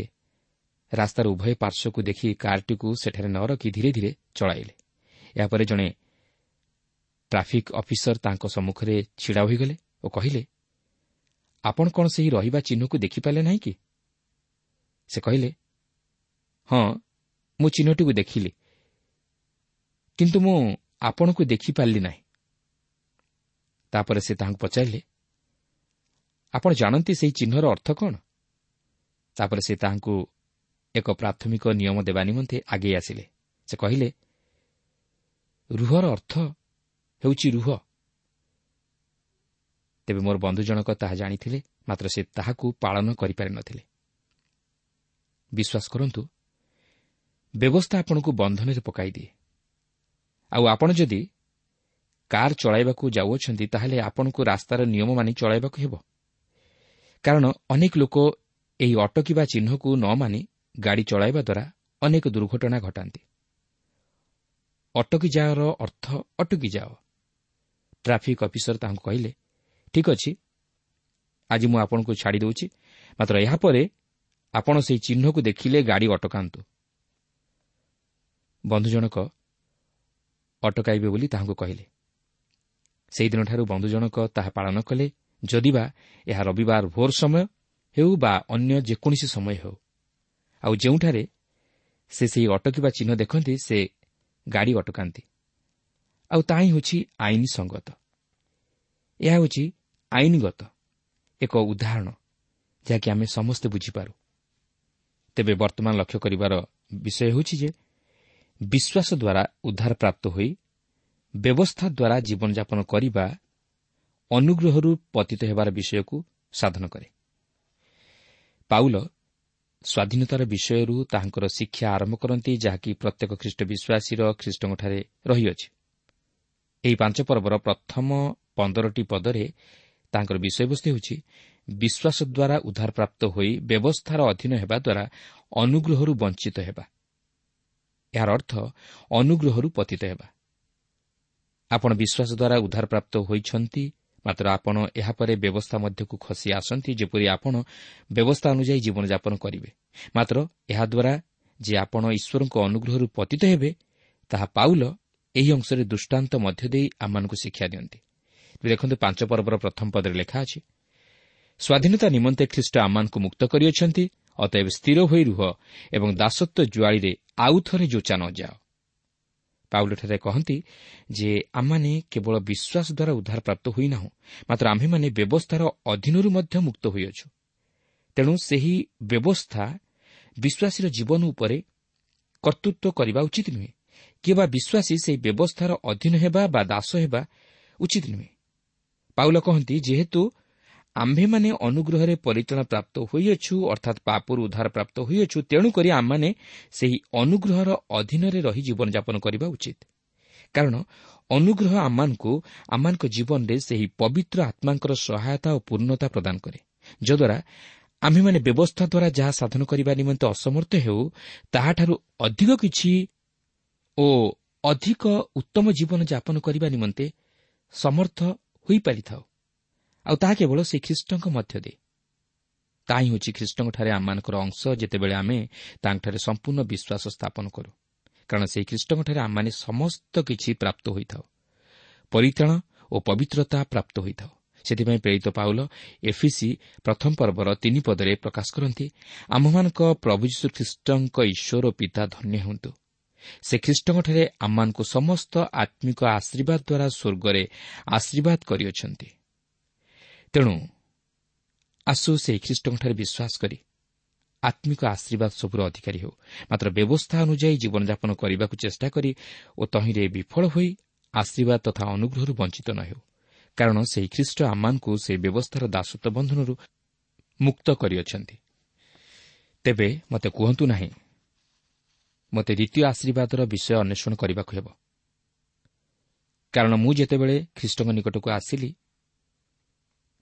ରାସ୍ତାର ଉଭୟ ପାର୍ଶ୍ୱକୁ ଦେଖି କାର୍ଟିକୁ ସେଠାରେ ନ ରଖି ଧୀରେ ଧୀରେ ଚଳାଇଲେ। ଏହାପରେ ଜଣେ ଟ୍ରାଫିକ୍ ଅଫିସର ତାଙ୍କ ସମ୍ମୁଖରେ ଛିଡ଼ା ହୋଇଗଲେ ଓ କହିଲେ, ଆପଣ କ'ଣ ସେହି ରହିବା ଚିହ୍ନକୁ ଦେଖିପାରିଲେ ନାହିଁ କି? ସେ କହିଲେ, ହଁ, ମୁଁ ଚିହ୍ନଟିକୁ ଦେଖିଲି, କିନ୍ତୁ ମୁଁ ଆପଣଙ୍କୁ ଦେଖିପାରିଲି ନାହିଁ। ତାପରେ ସେ ତାହାଙ୍କୁ ପଚାରିଲେ, ଆପଣ ଜାଣନ୍ତି ସେହି ଚିହ୍ନର ଅର୍ଥ କ'ଣ? ତାପରେ ସେ ତାହାଙ୍କୁ ଏକ ପ୍ରାଥମିକ ନିୟମ ଦେବା ନିମନ୍ତେ ଆଗେଇ ଆସିଲେ। ସେ କହିଲେ, ରୁହର ଅର୍ଥ ହେଉଛି ରୁହ। ତେବେ ମୋର ବନ୍ଧୁ ଜଣକ ତାହା ଜାଣିଥିଲେ, ମାତ୍ର ସେ ତାହାକୁ ପାଳନ କରିପାରିନଥିଲେ। ବିଶ୍ୱାସ କରନ୍ତୁ, ବ୍ୟବସ୍ଥା ଆପଣଙ୍କୁ ବନ୍ଧନରେ ପକାଇଦିଏ। ଆଉ ଆପଣ ଯଦି କାର୍ ଚଳାଇବାକୁ ଯାଉଅଛନ୍ତି, ତାହେଲେ ଆପଣଙ୍କୁ ରାସ୍ତାର ନିୟମ ମାନି ଚଳାଇବାକୁ ହେବ। କାରଣ ଅନେକ ଲୋକ ଏହି ଅଟକିବା ଚିହ୍ନକୁ ନ ମାନି ଗାଡ଼ି ଚଳାଇବା ଦ୍ୱାରା ଅନେକ ଦୁର୍ଘଟଣା ଘଟାନ୍ତି। ଅଟକି ଯାଅର ଅର୍ଥ ଅଟକି ଯାଅ। ଟ୍ରାଫିକ୍ ଅଫିସର ତାଙ୍କୁ କହିଲେ, ଠିକ୍ ଅଛି, ଆଜି ମୁଁ ଆପଣଙ୍କୁ ଛାଡ଼ି ଦେଉଛି, ମାତ୍ର ଏହାପରେ ଆପଣ ସେହି ଚିହ୍ନକୁ ଦେଖିଲେ ଗାଡ଼ି ଅଟକାନ୍ତୁ। ବନ୍ଧୁ ଜଣକ ଅଟକାଇବେ ବୋଲି ତାହାଙ୍କୁ କହିଲେ। ସେହିଦିନଠାରୁ ବନ୍ଧୁ ଜଣକ ତାହା ପାଳନ କଲେ, ଯଦିବା ଏହା ରବିବାର ଭୋର ସମୟ ହେଉ ବା ଅନ୍ୟ ଯେକୌଣସି ସମୟ ହେଉ। ଆଉ ଯେଉଁଠାରେ ସେ ସେହି ଅଟକିବା ଚିହ୍ନ ଦେଖନ୍ତି, ସେ ଗାଡ଼ି ଅଟକାନ୍ତି। ଆଉ ତାହା ହିଁ ହେଉଛି ଆଇନ ସଙ୍ଗତ। ଏହା ହେଉଛି ଆଇନଗତ ଏକ ଉଦାହରଣ, ଯାହାକି ଆମେ ସମସ୍ତେ ବୁଝିପାରୁ। ତେବେ ବର୍ତ୍ତମାନ ଲକ୍ଷ୍ୟ କରିବାର ବିଷୟ ହେଉଛି ଯେ ବିଶ୍ୱାସ ଦ୍ୱାରା ଉଦ୍ଧାର ପ୍ରାପ୍ତ ହୋଇ ବ୍ୟବସ୍ଥା ଦ୍ୱାରା ଜୀବନଯାପନ କରିବା ଅନୁଗ୍ରହରୁ ପତିତ ହେବାର ବିଷୟକୁ ସାଧନ କରେ। ପାଉଲ ସ୍ୱାଧୀନତାର ବିଷୟରୁ ତାହାଙ୍କର ଶିକ୍ଷା ଆରମ୍ଭ କରନ୍ତି, ଯାହାକି ପ୍ରତ୍ୟେକ ଖ୍ରୀଷ୍ଟ ବିଶ୍ୱାସୀର ଖ୍ରୀଷ୍ଟଙ୍କଠାରେ ରହିଅଛି। ଏହି 5 ପର୍ବର ପ୍ରଥମ 15ଟି ପଦରେ ତାଙ୍କର ବିଷୟବସ୍ତୁ ହେଉଛି ବିଶ୍ୱାସ ଦ୍ୱାରା ଉଦ୍ଧାରପ୍ରାପ୍ତ ହୋଇ ବ୍ୟବସ୍ଥାର ଅଧୀନ ହେବା ଦ୍ୱାରା ଅନୁଗ୍ରହରୁ ବଞ୍ଚିତ ହେବା। ଏହାର ଅର୍ଥ ଅନୁଗ୍ରହରୁ ପତିତ ହେବା। ଆପଣ ବିଶ୍ୱାସ ଦ୍ୱାରା ଉଦ୍ଧାରପ୍ରାପ୍ତ ହୋଇଛନ୍ତି, ମାତ୍ର ଆପଣ ଏହାପରେ ବ୍ୟବସ୍ଥା ମଧ୍ୟକୁ ଖସି ଆସନ୍ତି, ଯେପରି ଆପଣ ବ୍ୟବସ୍ଥା ଅନୁଯାୟୀ ଜୀବନଯାପନ କରିବେ। ମାତ୍ର ଏହାଦ୍ୱାରା ଯେ ଆପଣ ଈଶ୍ୱରଙ୍କ ଅନୁଗ୍ରହରୁ ପତିତ ହେବେ, ତାହା ପାଉଲ ଏହି ଅଂଶରେ ଦୃଷ୍ଟାନ୍ତ ମଧ୍ୟ ଦେଇ ଆମମାନଙ୍କୁ ଶିକ୍ଷା ଦିଅନ୍ତି। ଦେଖନ୍ତୁ, 5 ପର୍ବର ପ୍ରଥମ ପଦରେ ଲେଖା ଅଛି, ସ୍ୱାଧୀନତା ନିମନ୍ତେ ଖ୍ରୀଷ୍ଟ ଆମମାନଙ୍କୁ ମୁକ୍ତ କରିଅଛନ୍ତି, ଅତଏବ ସ୍ଥିର ହୋଇ ରୁହ ଏବଂ ଦାସତ୍ୱ ଜୁଆଳିରେ ଆଉ ଥରେ ଯୋଚା ନ ଯାଅ। ପାଉଲଠାରେ କହନ୍ତି ଯେ ଆମମାନେ କେବଳ ବିଶ୍ୱାସ ଦ୍ୱାରା ଉଦ୍ଧାରପ୍ରାପ୍ତ ହୋଇନାହୁଁ, ମାତ୍ର ଆମ୍ଭେମାନେ ବ୍ୟବସ୍ଥାର ଅଧୀନରୁ ମଧ୍ୟ ମୁକ୍ତ ହୋଇଅଛୁ। ତେଣୁ ସେହି ବ୍ୟବସ୍ଥା ବିଶ୍ୱାସୀର ଜୀବନ ଉପରେ କର୍ତ୍ତୃତ୍ୱ କରିବା ଉଚିତ ନୁହେଁ, କିମ୍ବା ବିଶ୍ୱାସୀ ସେହି ବ୍ୟବସ୍ଥାର ଅଧୀନ ହେବା ବା ଦାସ ହେବା ଉଚିତ ନୁହେଁ। ପାଉଲ କହନ୍ତି, ଯେହେତୁ ଆମ୍ଭେମାନେ ଅନୁଗ୍ରହରେ ପରିତ୍ରାଣ ପ୍ରାପ୍ତ ହୋଇଅଛୁ, ଅର୍ଥାତ୍ ପାପରୁ ଉଦ୍ଧାର ପ୍ରାପ୍ତ ହୋଇଅଛୁ, ତେଣୁକରି ଆମମାନେ ସେହି ଅନୁଗ୍ରହର ଅଧୀନରେ ରହି ଜୀବନଯାପନ କରିବା ଉଚିତ। କାରଣ ଅନୁଗ୍ରହ ଆମମାନଙ୍କୁ ଆମମାନଙ୍କ ଜୀବନରେ ସେହି ପବିତ୍ର ଆତ୍ମାଙ୍କର ସହାୟତା ଓ ପୂର୍ଣ୍ଣତା ପ୍ରଦାନ କରେ, ଯଦ୍ୱାରା ଆମ୍ଭେମାନେ ବ୍ୟବସ୍ଥା ଦ୍ୱାରା ଯାହା ସାଧନ କରିବା ନିମନ୍ତେ ଅସମର୍ଥ ହେଉ, ତାହାଠାରୁ ଅଧିକ କିଛି ଓ ଅଧିକ ଉତ୍ତମ ଜୀବନ ଯାପନ କରିବା ନିମନ୍ତେ ସମର୍ଥ ହୋଇପାରିଥାଉ। ଆଉ ତାହା କେବଳ ସେ ଖ୍ରୀଷ୍ଟଙ୍କ ମଧ୍ୟ ଦେଇ। ତାହା ହିଁ ହେଉଛି ଖ୍ରୀଷ୍ଟଙ୍କଠାରେ ଆମମାନଙ୍କର ଅଂଶ, ଯେତେବେଳେ ଆମେ ତାଙ୍କଠାରେ ସମ୍ପୂର୍ଣ୍ଣ ବିଶ୍ୱାସ ସ୍ଥାପନ କରୁ। କାରଣ ସେହି ଖ୍ରୀଷ୍ଟଙ୍କଠାରେ ଆମମାନେ ସମସ୍ତ କିଛି ପ୍ରାପ୍ତ ହୋଇଥାଉ, ପରିତ୍ରାଣ ଓ ପବିତ୍ରତା ପ୍ରାପ୍ତ ହୋଇଥାଉ। ସେଥିପାଇଁ ପ୍ରେରିତ ପାଉଲ ଏଫିସି 1 ପର୍ବର 3 ପଦରେ ପ୍ରକାଶ କରନ୍ତି, ଆମ୍ଭମାନଙ୍କ ପ୍ରଭୁ ଯୀଶୁ ଖ୍ରୀଷ୍ଟଙ୍କ ଈଶ୍ୱର ପିତା ଧନ୍ୟ ହୁଅନ୍ତୁ। ସେ ଖ୍ରୀଷ୍ଟଙ୍କଠାରେ ଆମମାନଙ୍କୁ ସମସ୍ତ ଆତ୍ମିକ ଆଶୀର୍ବାଦ ଦ୍ୱାରା ସ୍ୱର୍ଗରେ ଆଶୀର୍ବାଦ କରିଅଛନ୍ତି। ତେଣୁ ଆସୁ ସେହି ଖ୍ରୀଷ୍ଟଙ୍କଠାରେ ବିଶ୍ୱାସ କରି ଆତ୍ମିକ ଆଶୀର୍ବାଦ ସବୁର ଅଧିକାରୀ ହେଉ, ମାତ୍ର ବ୍ୟବସ୍ଥା ଅନୁଯାୟୀ ଜୀବନଯାପନ କରିବାକୁ ଚେଷ୍ଟା କରି ଓ ତହିଁରେ ବିଫଳ ହୋଇ ଆଶୀର୍ବାଦ ତଥା ଅନୁଗ୍ରହରୁ ବଞ୍ଚିତ ନ ହେଉ। କାରଣ ସେହି ଖ୍ରୀଷ୍ଟ ଆମମାନଙ୍କୁ ସେହି ବ୍ୟବସ୍ଥାର ଦାସତ୍ୱ ବନ୍ଧନରୁ ମୁକ୍ତ କରିଅଛନ୍ତି। ତେବେ ମୋତେ କୁହନ୍ତୁ ନାହିଁ, ମୋତେ ଦ୍ୱିତୀୟ ଆଶୀର୍ବାଦର ବିଷୟ ଅନ୍ୱେଷଣ କରିବାକୁ ହେବ। କାରଣ ମୁଁ ଯେତେବେଳେ ଖ୍ରୀଷ୍ଟଙ୍କ ନିକଟକୁ ଆସିଲି,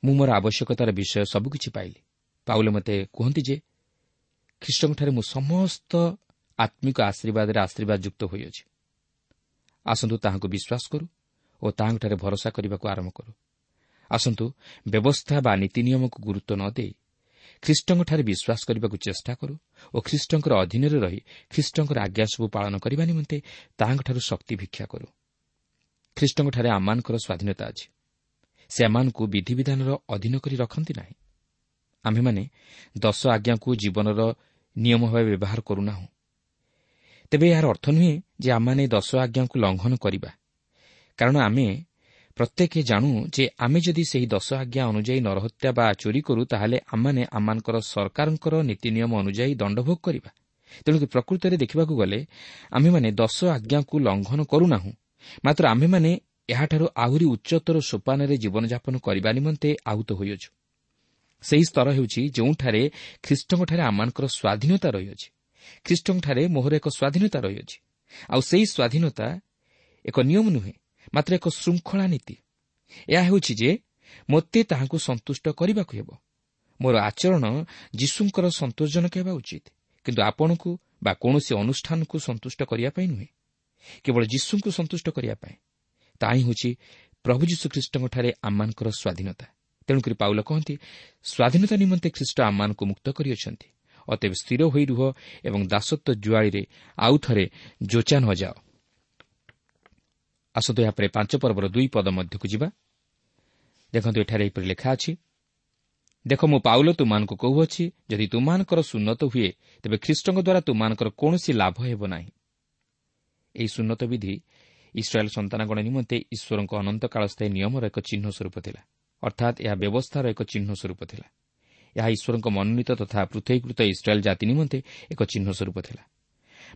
ମୁଁ ମୋର ଆବଶ୍ୟକତାର ବିଷୟ ସବୁକିଛି ପାଇଲି। ପାଉଲ ମୋତେ କୁହନ୍ତି ଯେ ଖ୍ରୀଷ୍ଟଙ୍କଠାରେ ମୁଁ ସମସ୍ତ ଆତ୍ମିକ ଆଶୀର୍ବାଦରେ ଆଶୀର୍ବାଦଯୁକ୍ତ ହୋଇଅଛି। ଆସନ୍ତୁ ତାହାଙ୍କୁ ବିଶ୍ୱାସ କରୁ ଓ ତାହାଙ୍କଠାରେ ଭରସା କରିବାକୁ ଆରମ୍ଭ କରୁ। ଆସନ୍ତୁ ବ୍ୟବସ୍ଥା ବା ନୀତି ନିୟମକୁ ଗୁରୁତ୍ୱ ନ ଦେଇ ଖ୍ରୀଷ୍ଟଙ୍କଠାରେ ବିଶ୍ୱାସ କରିବାକୁ ଚେଷ୍ଟା କରୁ ଓ ଖ୍ରୀଷ୍ଟଙ୍କର ଅଧୀନରେ ରହି ଖ୍ରୀଷ୍ଟଙ୍କର ଆଜ୍ଞା ସବୁ ପାଳନ କରିବା ନିମନ୍ତେ ତାହାଙ୍କଠାରୁ ଶକ୍ତି ଭିକ୍ଷା କରୁ। ଖ୍ରୀଷ୍ଟଙ୍କଠାରେ ଆମମାନଙ୍କର ସ୍ୱାଧୀନତା ଅଛି। ସେ ଆମମାନଙ୍କୁ ବିଧିବିଧାନର ଅଧୀନ କରି ରଖନ୍ତି ନାହିଁ। ଆମ୍ଭେମାନେ 10 ଆଜ୍ଞାକୁ ଜୀବନର ନିୟମ ଭାବେ ବ୍ୟବହାର କରୁନାହୁଁ। ତେବେ ଏହାର ଅର୍ଥ ନୁହେଁ ଯେ ଆମମାନେ 10 ଆଜ୍ଞାକୁ ଲଙ୍ଘନ କରିବା, କାରଣ ଆମେ ପ୍ରତ୍ୟେକ ଜାଣୁ ଯେ ଆମେ ଯଦି ସେହି 10 ଆଜ୍ଞା ଅନୁଯାୟୀ ନରହତ୍ୟା ବା ଚୋରି କରୁ, ତାହେଲେ ଆମମାନେ ଆମମାନଙ୍କର ସରକାରଙ୍କର ନୀତି ନିୟମ ଅନୁଯାୟୀ ଦଣ୍ଡଭୋଗ କରିବା। ତେଣୁ ପ୍ରକୃତରେ ଦେଖିବାକୁ ଗଲେ ଆମେମାନେ 10 ଆଜ୍ଞାକୁ ଲଙ୍ଘନ କରୁନାହୁଁ, ମାତ୍ର ଆମେମାନେ ଏହାଠାରୁ ଆହୁରି ଉଚ୍ଚତର ସୋପାନରେ ଜୀବନଯାପନ କରିବା ନିମନ୍ତେ ଆହୁତ ହୋଇଅଛୁ। ସେହି ସ୍ତର ହେଉଛି ଯେଉଁଠାରେ ଖ୍ରୀଷ୍ଟଙ୍କଠାରେ ଆମମାନଙ୍କର ସ୍ୱାଧୀନତା ରହିଅଛି। ଖ୍ରୀଷ୍ଟଙ୍କଠାରେ ମୋହର ଏକ ସ୍ୱାଧୀନତା ରହିଅଛି, ଆଉ ସେହି ସ୍ୱାଧୀନତା ଏକ ନିୟମ ନୁହେଁ, ମାତ୍ର ଏକ ଶୃଙ୍ଖଳା ନୀତି। ଏହା ହେଉଛି ଯେ ମୋତେ ତାହାଙ୍କୁ ସନ୍ତୁଷ୍ଟ କରିବାକୁ ହେବ। ମୋର ଆଚରଣ ଯୀଶୁଙ୍କର ସନ୍ତୋଷଜନକ ହେବା ଉଚିତ, କିନ୍ତୁ ଆପଣଙ୍କୁ ବା କୌଣସି ଅନୁଷ୍ଠାନକୁ ସନ୍ତୁଷ୍ଟ କରିବା ପାଇଁ ନୁହେଁ, କେବଳ ଯୀଶୁଙ୍କୁ ସନ୍ତୁଷ୍ଟ କରିବା ପାଇଁ। ତାହା ହିଁ ହେଉଛି ପ୍ରଭୁ ଯୀଶୁଖ୍ରୀଷ୍ଟଙ୍କଠାରେ ଆମମାନଙ୍କର ସ୍ୱାଧୀନତା। ତେଣୁକରି ପାଉଲ କହନ୍ତି, ସ୍ୱାଧୀନତା ନିମନ୍ତେ ଖ୍ରୀଷ୍ଟ ଆମମାନଙ୍କୁ ମୁକ୍ତ କରିଅଛନ୍ତି, ଅତଏବ ସ୍ଥିର ହୋଇ ରୁହ ଏବଂ ଦାସତ୍ୱ ଜୁଆଳିରେ ଆଉ ଥରେ ଯୋଚା ନ ଯାଅ। ଆସନ୍ତୁ ଏହାପରେ 5 ପର୍ବର 2 ପଦ ମଧ୍ୟକୁ ଯିବା। ଦେଖନ୍ତୁ, ଏଠାରେ ଏହିପରି ଲେଖା ଅଛି, ଦେଖ, ମୁଁ ପାଉଲ ତୁମମାନଙ୍କୁ କହୁଅଛି, ଯଦି ତୁମମାନଙ୍କର ସୁନ୍ନତ ହୁଏ, ତେବେ ଖ୍ରୀଷ୍ଟଙ୍କ ଦ୍ୱାରା ତୁମମାନଙ୍କର କୌଣସି ଲାଭ ହେବ ନାହିଁ। ଏହି ସୁନ୍ନତ ବିଧି ଇସ୍ରାଏଲ୍ ସନ୍ତାନଗଣ ନିମନ୍ତେ ଈଶ୍ୱରଙ୍କ ଅନନ୍ତ କାଳସ୍ଥାୟୀ ନିୟମର ଏକ ଚିହ୍ନ ସ୍ୱରୂପ ଥିଲା, ଅର୍ଥାତ୍ ଏହା ବ୍ୟବସ୍ଥାର ଏକ ଚିହ୍ନ ସ୍ୱରୂପ ଥିଲା। ଏହା ଈଶ୍ୱରଙ୍କ ମନୋନୀତ ତଥା ପୃଥକୀକୃତ ଇସ୍ରାଏଲ୍ ଜାତି ନିମନ୍ତେ ଏକ ଚିହ୍ନ ସ୍ୱରୂପ ଥିଲା।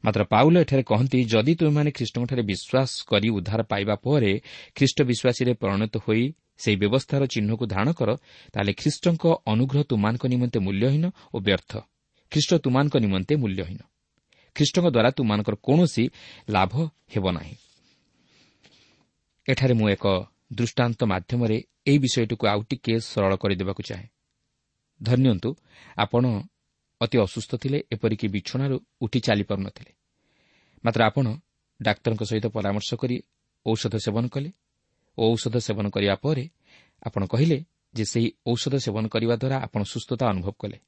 ମାତ୍ର ପାଉଲ ଏଠାରେ କହନ୍ତି, ଯଦି ତୁମେମାନେ ଖ୍ରୀଷ୍ଟଙ୍କଠାରେ ବିଶ୍ୱାସ କରି ଉଦ୍ଧାର ପାଇବା ପରେ ଖ୍ରୀଷ୍ଟ ବିଶ୍ୱାସୀରେ ପରିଣତ ହୋଇ ସେହି ବ୍ୟବସ୍ଥାର ଚିହ୍ନକୁ ଧାରଣ କର, ତାହେଲେ ଖ୍ରୀଷ୍ଟଙ୍କ ଅନୁଗ୍ରହ ତୁମମାନଙ୍କ ନିମନ୍ତେ ମୂଲ୍ୟହୀନ ଓ ବ୍ୟର୍ଥ। ଖ୍ରୀଷ୍ଟ ତୁମମାନଙ୍କ ନିମନ୍ତେ ମୂଲ୍ୟହୀନ। ଖ୍ରୀଷ୍ଟଙ୍କ ଦ୍ୱାରା ତୁମମାନଙ୍କର କୌଣସି ଲାଭ ହେବ ନାହିଁ। ଏଠାରେ ମୁଁ ଏକ ଦୃଷ୍ଟାନ୍ତ ମାଧ୍ୟମରେ ଏହି ବିଷୟଟିକୁ ଆଉ ଟିକିଏ ସରଳ କରିଦେବାକୁ ଚାହେଁ। ଧରିନିଅନ୍ତୁ, ଆପଣ ଅତି ଅସୁସ୍ଥ ଥିଲେ, ଏପରିକି ବିଛଣାରୁ ଉଠି ଚାଲିପାରୁନଥିଲେ। ମାତ୍ର ଆପଣ ଡାକ୍ତରଙ୍କ ସହିତ ପରାମର୍ଶ କରି ଔଷଧ ସେବନ କଲେ ଓ ଔଷଧ ସେବନ କରିବା ପରେ ଆପଣ କହିଲେ ଯେ ସେହି ଔଷଧ ସେବନ କରିବା ଦ୍ୱାରା ଆପଣ ସୁସ୍ଥତା ଅନୁଭବ କଲେ।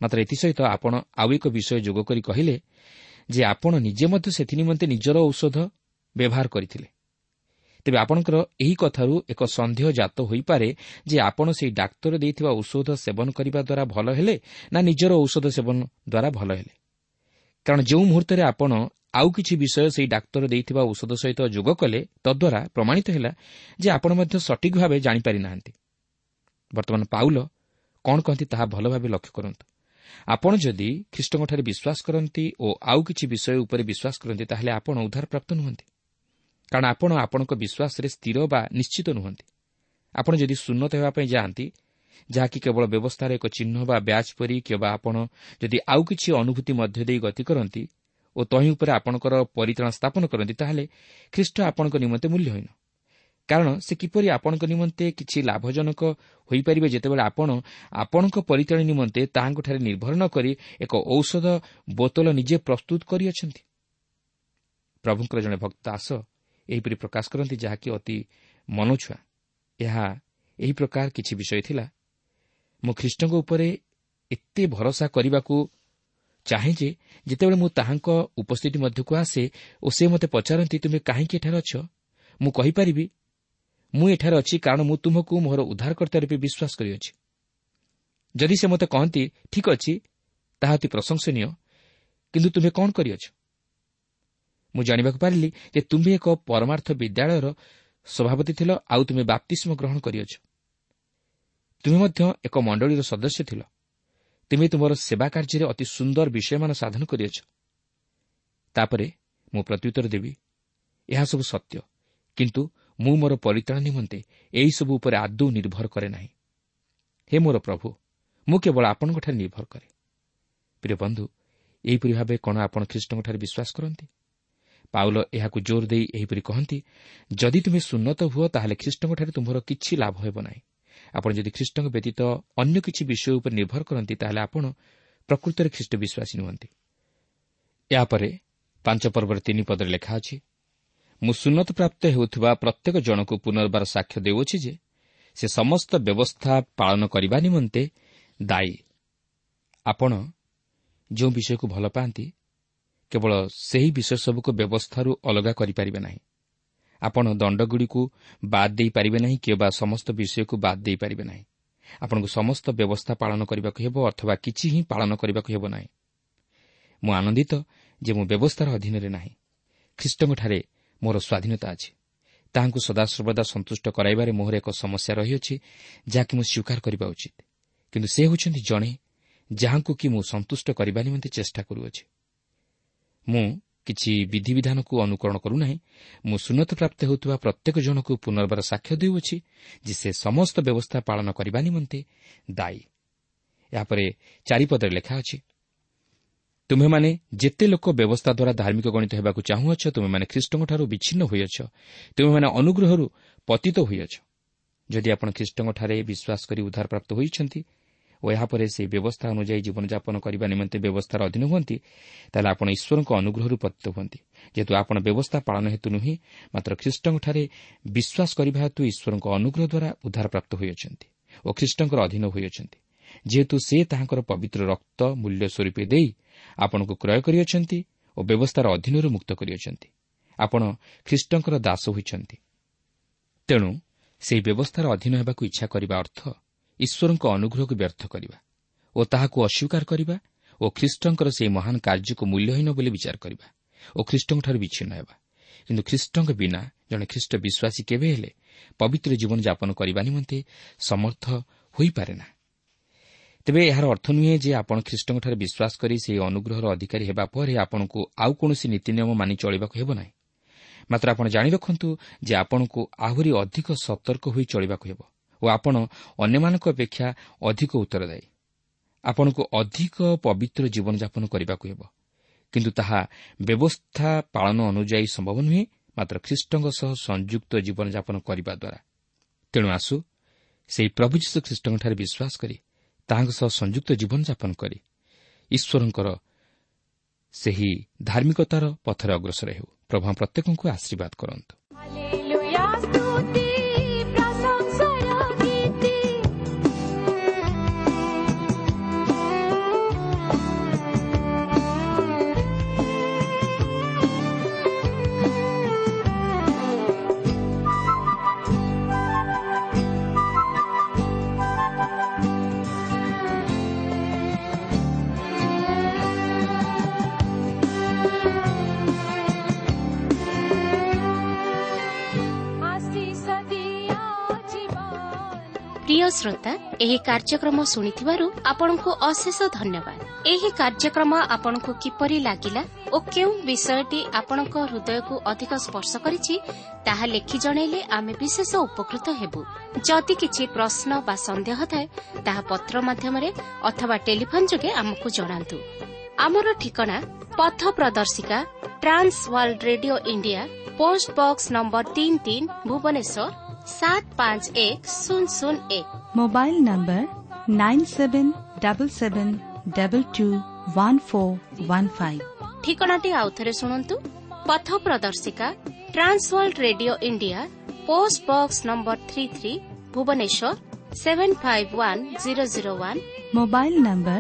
ମାତ୍ର ଏଥିସହିତ ଆପଣ ଆଉ ଏକ ବିଷୟ ଯୋଗ କରି କହିଲେ ଯେ ଆପଣ ନିଜେ ମଧ୍ୟ ସେଥି ନିମନ୍ତେ ନିଜର ଔଷଧ ବ୍ୟବହାର କରିଥିଲେ। ତେବେ ଆପଣଙ୍କର ଏହି କଥାରୁ ଏକ ସନ୍ଦେହ ଜାତ ହୋଇପାରେ ଯେ ଆପଣ ସେହି ଡାକ୍ତର ଦେଇଥିବା ଔଷଧ ସେବନ କରିବା ଦ୍ୱାରା ଭଲ ହେଲେ ନା ନିଜର ଔଷଧ ସେବନ ଦ୍ୱାରା ଭଲ ହେଲେ। କାରଣ ଯେଉଁ ମୁହୂର୍ତ୍ତରେ ଆପଣ ଆଉ କିଛି ବିଷୟ ସେହି ଡାକ୍ତର ଦେଇଥିବା ଔଷଧ ସହିତ ଯୋଗ କଲେ, ତଦ୍ୱାରା ପ୍ରମାଣିତ ହେଲା ଯେ ଆପଣ ମଧ୍ୟ ସଠିକ୍ ଭାବେ ଜାଣିପାରିନାହାନ୍ତି। ବର୍ତ୍ତମାନ ପାଉଲ କ'ଣ କହନ୍ତି ତାହା ଭଲ ଭାବେ ଲକ୍ଷ୍ୟ କରନ୍ତୁ। ଆପଣ ଯଦି ଖ୍ରୀଷ୍ଟଙ୍କଠାରେ ବିଶ୍ୱାସ କରନ୍ତି ଓ ଆଉ କିଛି ବିଷୟ ଉପରେ ବିଶ୍ୱାସ କରନ୍ତି, ତାହେଲେ ଆପଣ ଉଦ୍ଧାରପ୍ରାପ୍ତ ନୁହନ୍ତି, କାରଣ ଆପଣ ଆପଣଙ୍କ ବିଶ୍ୱାସରେ ସ୍ଥିର ବା ନିଶ୍ଚିତ ନୁହନ୍ତି। ଆପଣ ଯଦି ସୁନ୍ନତ ହେବା ପାଇଁ ଯାଆନ୍ତି, ଯାହାକି କେବଳ ବ୍ୟବସ୍ଥାର ଏକ ଚିହ୍ନ ବା ବ୍ୟାଚ୍ ପରି, କିମ୍ବା ଆପଣ ଯଦି ଆଉ କିଛି ଅନୁଭୂତି ମଧ୍ୟ ଦେଇ ଗତି କରନ୍ତି ଓ ତହିଁ ଉପରେ ଆପଣଙ୍କର ପରିତ୍ରାଣ ସ୍ଥାପନ କରନ୍ତି, ତାହେଲେ ଖ୍ରୀଷ୍ଟ ଆପଣଙ୍କ ନିମନ୍ତେ ମୂଲ୍ୟହୀନ। କାରଣ ସେ କିପରି ଆପଣଙ୍କ ନିମନ୍ତେ କିଛି ଲାଭଜନକ ହୋଇପାରିବେ ଯେତେବେଳେ ଆପଣ ଆପଣଙ୍କ ପରିତ୍ରାଣ ନିମନ୍ତେ ତାହାଙ୍କଠାରେ ନିର୍ଭର ନ କରି ଏକ ଔଷଧ ବୋତଲ ନିଜେ ପ୍ରସ୍ତୁତ କରିଅଛନ୍ତି। ପ୍ରଭୁଙ୍କର ଜଣେ ଭକ୍ତ ଦାସ ଏହିପରି ପ୍ରକାଶ କରନ୍ତି, ଯାହାକି ଅତି ମନଛୁଆଁ। ଏହା ଏହି ପ୍ରକାର କିଛି ବିଷୟ ଥିଲା। ମୁଁ ଖ୍ରୀଷ୍ଟଙ୍କ ଉପରେ ଏତେ ଭରସା କରିବାକୁ ଚାହେଁ ଯେ ଯେତେବେଳେ ମୁଁ ତାହାଙ୍କ ଉପସ୍ଥିତି ମଧ୍ୟକୁ ଆସେ ଓ ସେ ମୋତେ ପଚାରନ୍ତି, ତୁମେ କାହିଁକି ଏଠାରେ ଅଛ, ମୁଁ କହିପାରିବି, ମୁଁ ଏଠାରେ ଅଛି କାରଣ ମୁଁ ତୁମକୁ ମୋର ଉଦ୍ଧାରକର୍ତ୍ତା ରୂପେ ବିଶ୍ୱାସ କରିଅଛି। ଯଦି ସେ ମୋତେ କହନ୍ତି, ଠିକ୍ ଅଛି, ତାହା ଅତି ପ୍ରଶଂସନୀୟ, କିନ୍ତୁ ତୁମେ କ'ଣ କରିଅଛ? ମୁଁ ଜାଣିବାକୁ ପାରିଲି ଯେ ତୁମ୍ଭେ ଏକ ପରମାର୍ଥ ବିଦ୍ୟାଳୟର ସଭାପତି ଥିଲ, ଆଉ ତୁମେ ବାପ୍ତିସ୍ମ ଗ୍ରହଣ କରିଅଛ। ତୁମେ ମଧ୍ୟ ଏକ ମଣ୍ଡଳୀର ସଦସ୍ୟ ଥିଲ। ତୁମେ ତୁମର ସେବା କାର୍ଯ୍ୟରେ ଅତି ସୁନ୍ଦର ବିଷୟମାନ ସାଧନ କରିଅଛ। ତାପରେ ମୁଁ ପ୍ରତ୍ୟୁତ୍ତର ଦେବି, ଏହା ସବୁ ସତ୍ୟ, କିନ୍ତୁ ମୁଁ ମୋର ପରିତ୍ରାଣ ନିମନ୍ତେ ଏହିସବୁ ଉପରେ ଆଦୌ ନିର୍ଭର କରେ ନାହିଁ। ହେ ମୋର ପ୍ରଭୁ, ମୁଁ କେବଳ ଆପଣଙ୍କଠାରେ ନିର୍ଭର କରେ। ପ୍ରିୟ ବନ୍ଧୁ, ଏହିପରି ଭାବେ କ'ଣ ଆପଣ ଖ୍ରୀଷ୍ଟଙ୍କଠାରେ ବିଶ୍ୱାସ କରନ୍ତି? ପାଉଲ ଏହାକୁ ଜୋର ଦେଇ ଏହିପରି କହନ୍ତି, ଯଦି ତୁମେ ସୁନ୍ନତ ହୁଅ, ତାହେଲେ ଖ୍ରୀଷ୍ଟଙ୍କଠାରେ ତୁମର କିଛି ଲାଭ ହେବ ନାହିଁ। ଆପଣ ଯଦି ଖ୍ରୀଷ୍ଟଙ୍କ ବ୍ୟତୀତ ଅନ୍ୟ କିଛି ବିଷୟ ଉପରେ ନିର୍ଭର କରନ୍ତି, ତାହେଲେ ଆପଣ ପ୍ରକୃତରେ ଖ୍ରୀଷ୍ଟ ବିଶ୍ୱାସୀ ନୁହନ୍ତି। ଏହାପରେ 5 ପର୍ବର 3 ପଦରେ ଲେଖା ଅଛି, ମୁଁ ସୁନ୍ନତ ପ୍ରାପ୍ତ ହେଉଥିବା ପ୍ରତ୍ୟେକ ଜଣକୁ ପୁନର୍ବାର ସାକ୍ଷ୍ୟ ଦେଉଅଛି ଯେ ସେ ସମସ୍ତ ବ୍ୟବସ୍ଥା ପାଳନ କରିବା ନିମନ୍ତେ ଦାୟୀ। ଆପଣ ଯେଉଁ ବିଷୟକୁ ଭଲ ପାଆନ୍ତି, କେବଳ ସେହି ବିଷୟ ସବୁକୁ ବ୍ୟବସ୍ଥାରୁ ଅଲଗା କରିପାରିବେ ନାହିଁ। ଆପଣ ଦଣ୍ଡଗୁଡ଼ିକୁ ବାଦ୍ ଦେଇପାରିବେ ନାହିଁ କିମ୍ବା ସମସ୍ତ ବିଷୟକୁ ବାଦ୍ ଦେଇପାରିବେ ନାହିଁ। ଆପଣଙ୍କୁ ସମସ୍ତ ବ୍ୟବସ୍ଥା ପାଳନ କରିବାକୁ ହେବ ଅଥବା କିଛି ହିଁ ପାଳନ କରିବାକୁ ହେବ ନାହିଁ। ମୁଁ ଆନନ୍ଦିତ ଯେ ମୁଁ ବ୍ୟବସ୍ଥାର ଅଧୀନରେ ନାହିଁ। ଖ୍ରୀଷ୍ଟଙ୍କଠାରେ ମୋର ସ୍ୱାଧୀନତା ଅଛି। ତାହାଙ୍କୁ ସଦାସର୍ବଦା ସନ୍ତୁଷ୍ଟ କରାଇବାରେ ମୋର ଏକ ସମସ୍ୟା ରହିଅଛି, ଯାହାକି ମୁଁ ସ୍ୱୀକାର କରିବା ଉଚିତ। କିନ୍ତୁ ସେ ହେଉଛନ୍ତି ଜଣେ ଯାହାଙ୍କୁ କି ମୁଁ ସନ୍ତୁଷ୍ଟ କରିବା ନିମନ୍ତେ ଚେଷ୍ଟା କରୁଅଛି। ମୁଁ କିଛି ବିଧିବିଧାନକୁ ଅନୁକରଣ କରୁନାହିଁ। ମୁଁ ସୁନ୍ନତପ୍ରାପ୍ତ ହେଉଥିବା ପ୍ରତ୍ୟେକ ଜଣକୁ ପୁନର୍ବାର ସାକ୍ଷ୍ୟ ଦେଉଅଛି ଯେ ସେ ସମସ୍ତ ବ୍ୟବସ୍ଥା ପାଳନ କରିବା ନିମନ୍ତେ ଦାୟୀ। ଏହାପରେ 4 ପଦରେ ଲେଖା ଅଛି, ତୁମ୍ଭେମାନେ ଯେତେ ଲୋକ ବ୍ୟବସ୍ଥା ଦ୍ୱାରା ଧାର୍ମିକ ଗଣିତ ହେବାକୁ ଚାହୁଁଅଛ, ତୁମେମାନେ ଖ୍ରୀଷ୍ଟଙ୍କଠାରୁ ବିଚ୍ଛିନ୍ନ ହୋଇଅଛ, ତୁମେମାନେ ଅନୁଗ୍ରହରୁ ପତିତ ହୋଇଅଛ। ଯଦି ଆପଣ ଖ୍ରୀଷ୍ଟଙ୍କଠାରେ ବିଶ୍ୱାସ କରି ଉଦ୍ଧାରପ୍ରାପ୍ତ ହୋଇଛନ୍ତି ଓ ଏହାପରେ ସେହି ବ୍ୟବସ୍ଥା ଅନୁଯାୟୀ ଜୀବନଯାପନ କରିବା ନିମନ୍ତେ ବ୍ୟବସ୍ଥାର ଅଧୀନ ହୁଅନ୍ତି, ତାହେଲେ ଆପଣ ଈଶ୍ୱରଙ୍କ ଅନୁଗ୍ରହରୁ ପତିତ ହୁଅନ୍ତି। ଯେହେତୁ ଆପଣ ବ୍ୟବସ୍ଥା ପାଳନ ହେତୁ ନୁହେଁ, ମାତ୍ର ଖ୍ରୀଷ୍ଟଙ୍କଠାରେ ବିଶ୍ୱାସ କରିବା ହେତୁ ଈଶ୍ୱରଙ୍କ ଅନୁଗ୍ରହ ଦ୍ୱାରା ଉଦ୍ଧାରପ୍ରାପ୍ତ ହୋଇଅଛନ୍ତି ଓ ଖ୍ରୀଷ୍ଟଙ୍କର ଅଧୀନ ହୋଇଅଛନ୍ତି। ଯେହେତୁ ସେ ତାହାଙ୍କର ପବିତ୍ର ରକ୍ତ ମୂଲ୍ୟ ସ୍ୱରୂପେ ଦେଇ ଆପଣଙ୍କୁ କ୍ରୟ କରିଅଛନ୍ତି ଓ ବ୍ୟବସ୍ଥାର ଅଧୀନରୁ ମୁକ୍ତ କରିଅଛନ୍ତି, ଆପଣ ଖ୍ରୀଷ୍ଟଙ୍କର ଦାସ ହୋଇଛନ୍ତି। ତେଣୁ ସେହି ବ୍ୟବସ୍ଥାର ଅଧୀନ ହେବାକୁ ଇଚ୍ଛା କରିବା ଅର୍ଥ ଈଶ୍ୱରଙ୍କ ଅନୁଗ୍ରହକୁ ବ୍ୟର୍ଥ କରିବା ଓ ତାହାକୁ ଅସ୍ୱୀକାର କରିବା ଓ ଖ୍ରୀଷ୍ଟଙ୍କର ସେହି ମହାନ କାର୍ଯ୍ୟକୁ ମୂଲ୍ୟହୀନ ବୋଲି ବିଚାର କରିବା ଓ ଖ୍ରୀଷ୍ଟଙ୍କଠାରୁ ବିଚ୍ଛିନ୍ନ ହେବା। କିନ୍ତୁ ଖ୍ରୀଷ୍ଟଙ୍କ ବିନା ଜଣେ ଖ୍ରୀଷ୍ଟ ବିଶ୍ୱାସୀ କେବେ ହେଲେ ପବିତ୍ର ଜୀବନଯାପନ କରିବା ନିମନ୍ତେ ସମର୍ଥ ହୋଇପାରେ ନା। ତେବେ ଏହାର ଅର୍ଥ ନୁହେଁ ଯେ ଆପଣ ଖ୍ରୀଷ୍ଟଙ୍କଠାରେ ବିଶ୍ୱାସ କରି ସେହି ଅନୁଗ୍ରହର ଅଧିକାରୀ ହେବା ପରେ ଆପଣଙ୍କୁ ଆଉ କୌଣସି ନୀତିନିୟମ ମାନି ଚଳିବାକୁ ହେବ ନାହିଁ। ମାତ୍ର ଆପଣ ଜାଣି ରଖନ୍ତୁ ଯେ ଆପଣଙ୍କୁ ଆହୁରି ଅଧିକ ସତର୍କ ହୋଇ ଚଳିବାକୁ ହେବ ଓ ଆପଣ ଅନ୍ୟମାନଙ୍କ ଅପେକ୍ଷା ଅଧିକ ଉତ୍ତରଦାୟୀ। ଆପଣଙ୍କୁ ଅଧିକ ପବିତ୍ର ଜୀବନଯାପନ କରିବାକୁ ହେବ, କିନ୍ତୁ ତାହା ବ୍ୟବସ୍ଥା ପାଳନ ଅନୁଯାୟୀ ସମ୍ଭବ ନୁହେଁ, ମାତ୍ର ଖ୍ରୀଷ୍ଟଙ୍କ ସହ ସଂଯୁକ୍ତ ଜୀବନଯାପନ କରିବା ଦ୍ୱାରା। ତେଣୁ ଆସୁ ସେହି ପ୍ରଭୁ ଯୀଶୁ ଖ୍ରୀଷ୍ଟଙ୍କଠାରେ ବିଶ୍ୱାସ କରି ତାହାଙ୍କ ସହ ସଂଯୁକ୍ତ ଜୀବନଯାପନ କରି ଈଶ୍ୱରଙ୍କର ସେହି ଧାର୍ମିକତାର ପଥରେ ଅଗ୍ରସର ହେଉ। ପ୍ରଭୁ ପ୍ରତ୍ୟେକଙ୍କୁ ଆଶୀର୍ବାଦ କରନ୍ତୁ। ପ୍ରିୟ ଶ୍ରୋତା, ଏହି କାର୍ଯ୍ୟକ୍ରମ ଶୁଣିଥିବାରୁ ଆପଣଙ୍କୁ ଅଶେଷ ଧନ୍ୟବାଦ। ଏହି କାର୍ଯ୍ୟକ୍ରମ ଆପଣଙ୍କୁ କିପରି ଲାଗିଲା ଓ କେଉଁ ବିଷୟଟି ଆପଣଙ୍କ ହୃଦୟକୁ ଅଧିକ ସ୍ପର୍ଶ କରିଛି ତାହା ଲେଖି ଜଣାଇଲେ ଆମେ ବିଶେଷ ଉପକୃତ ହେବୁ। ଯଦି କିଛି ପ୍ରଶ୍ନ ବା ସନ୍ଦେହ ଥାଏ ତାହା ପତ୍ର ମାଧ୍ୟମରେ ଅଥବା ଟେଲିଫୋନ୍ ଯୋଗେ ଆମକୁ ଜଣାନ୍ତୁ। ଆମର ଠିକଣା ପଥ ପ୍ରଦର୍ଶିକା, Trans World Radio India, post box number 33, Bhubaneswar 751001। Mobile number 9777221415। ଠିକଣାଟି ଆଉଥରେ ଶୁଣନ୍ତୁ। ପଥ ପ୍ରଦର୍ଶିକା, Trans World Radio India, post box number 33, Bhubaneswar 751001। Mobile number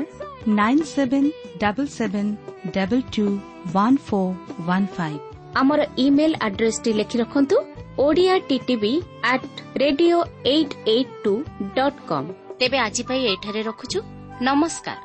9777221415। ଆମର ଇମେଲ୍ ଆଡ୍ରେସଟି ଲେଖି ରଖନ୍ତୁ, Odia TTV at radio 882.com। ତେବେ ଆଜି ପାଇଁ ଏଠାରେ ରଖୁଛୁ। ନମସ୍କାର।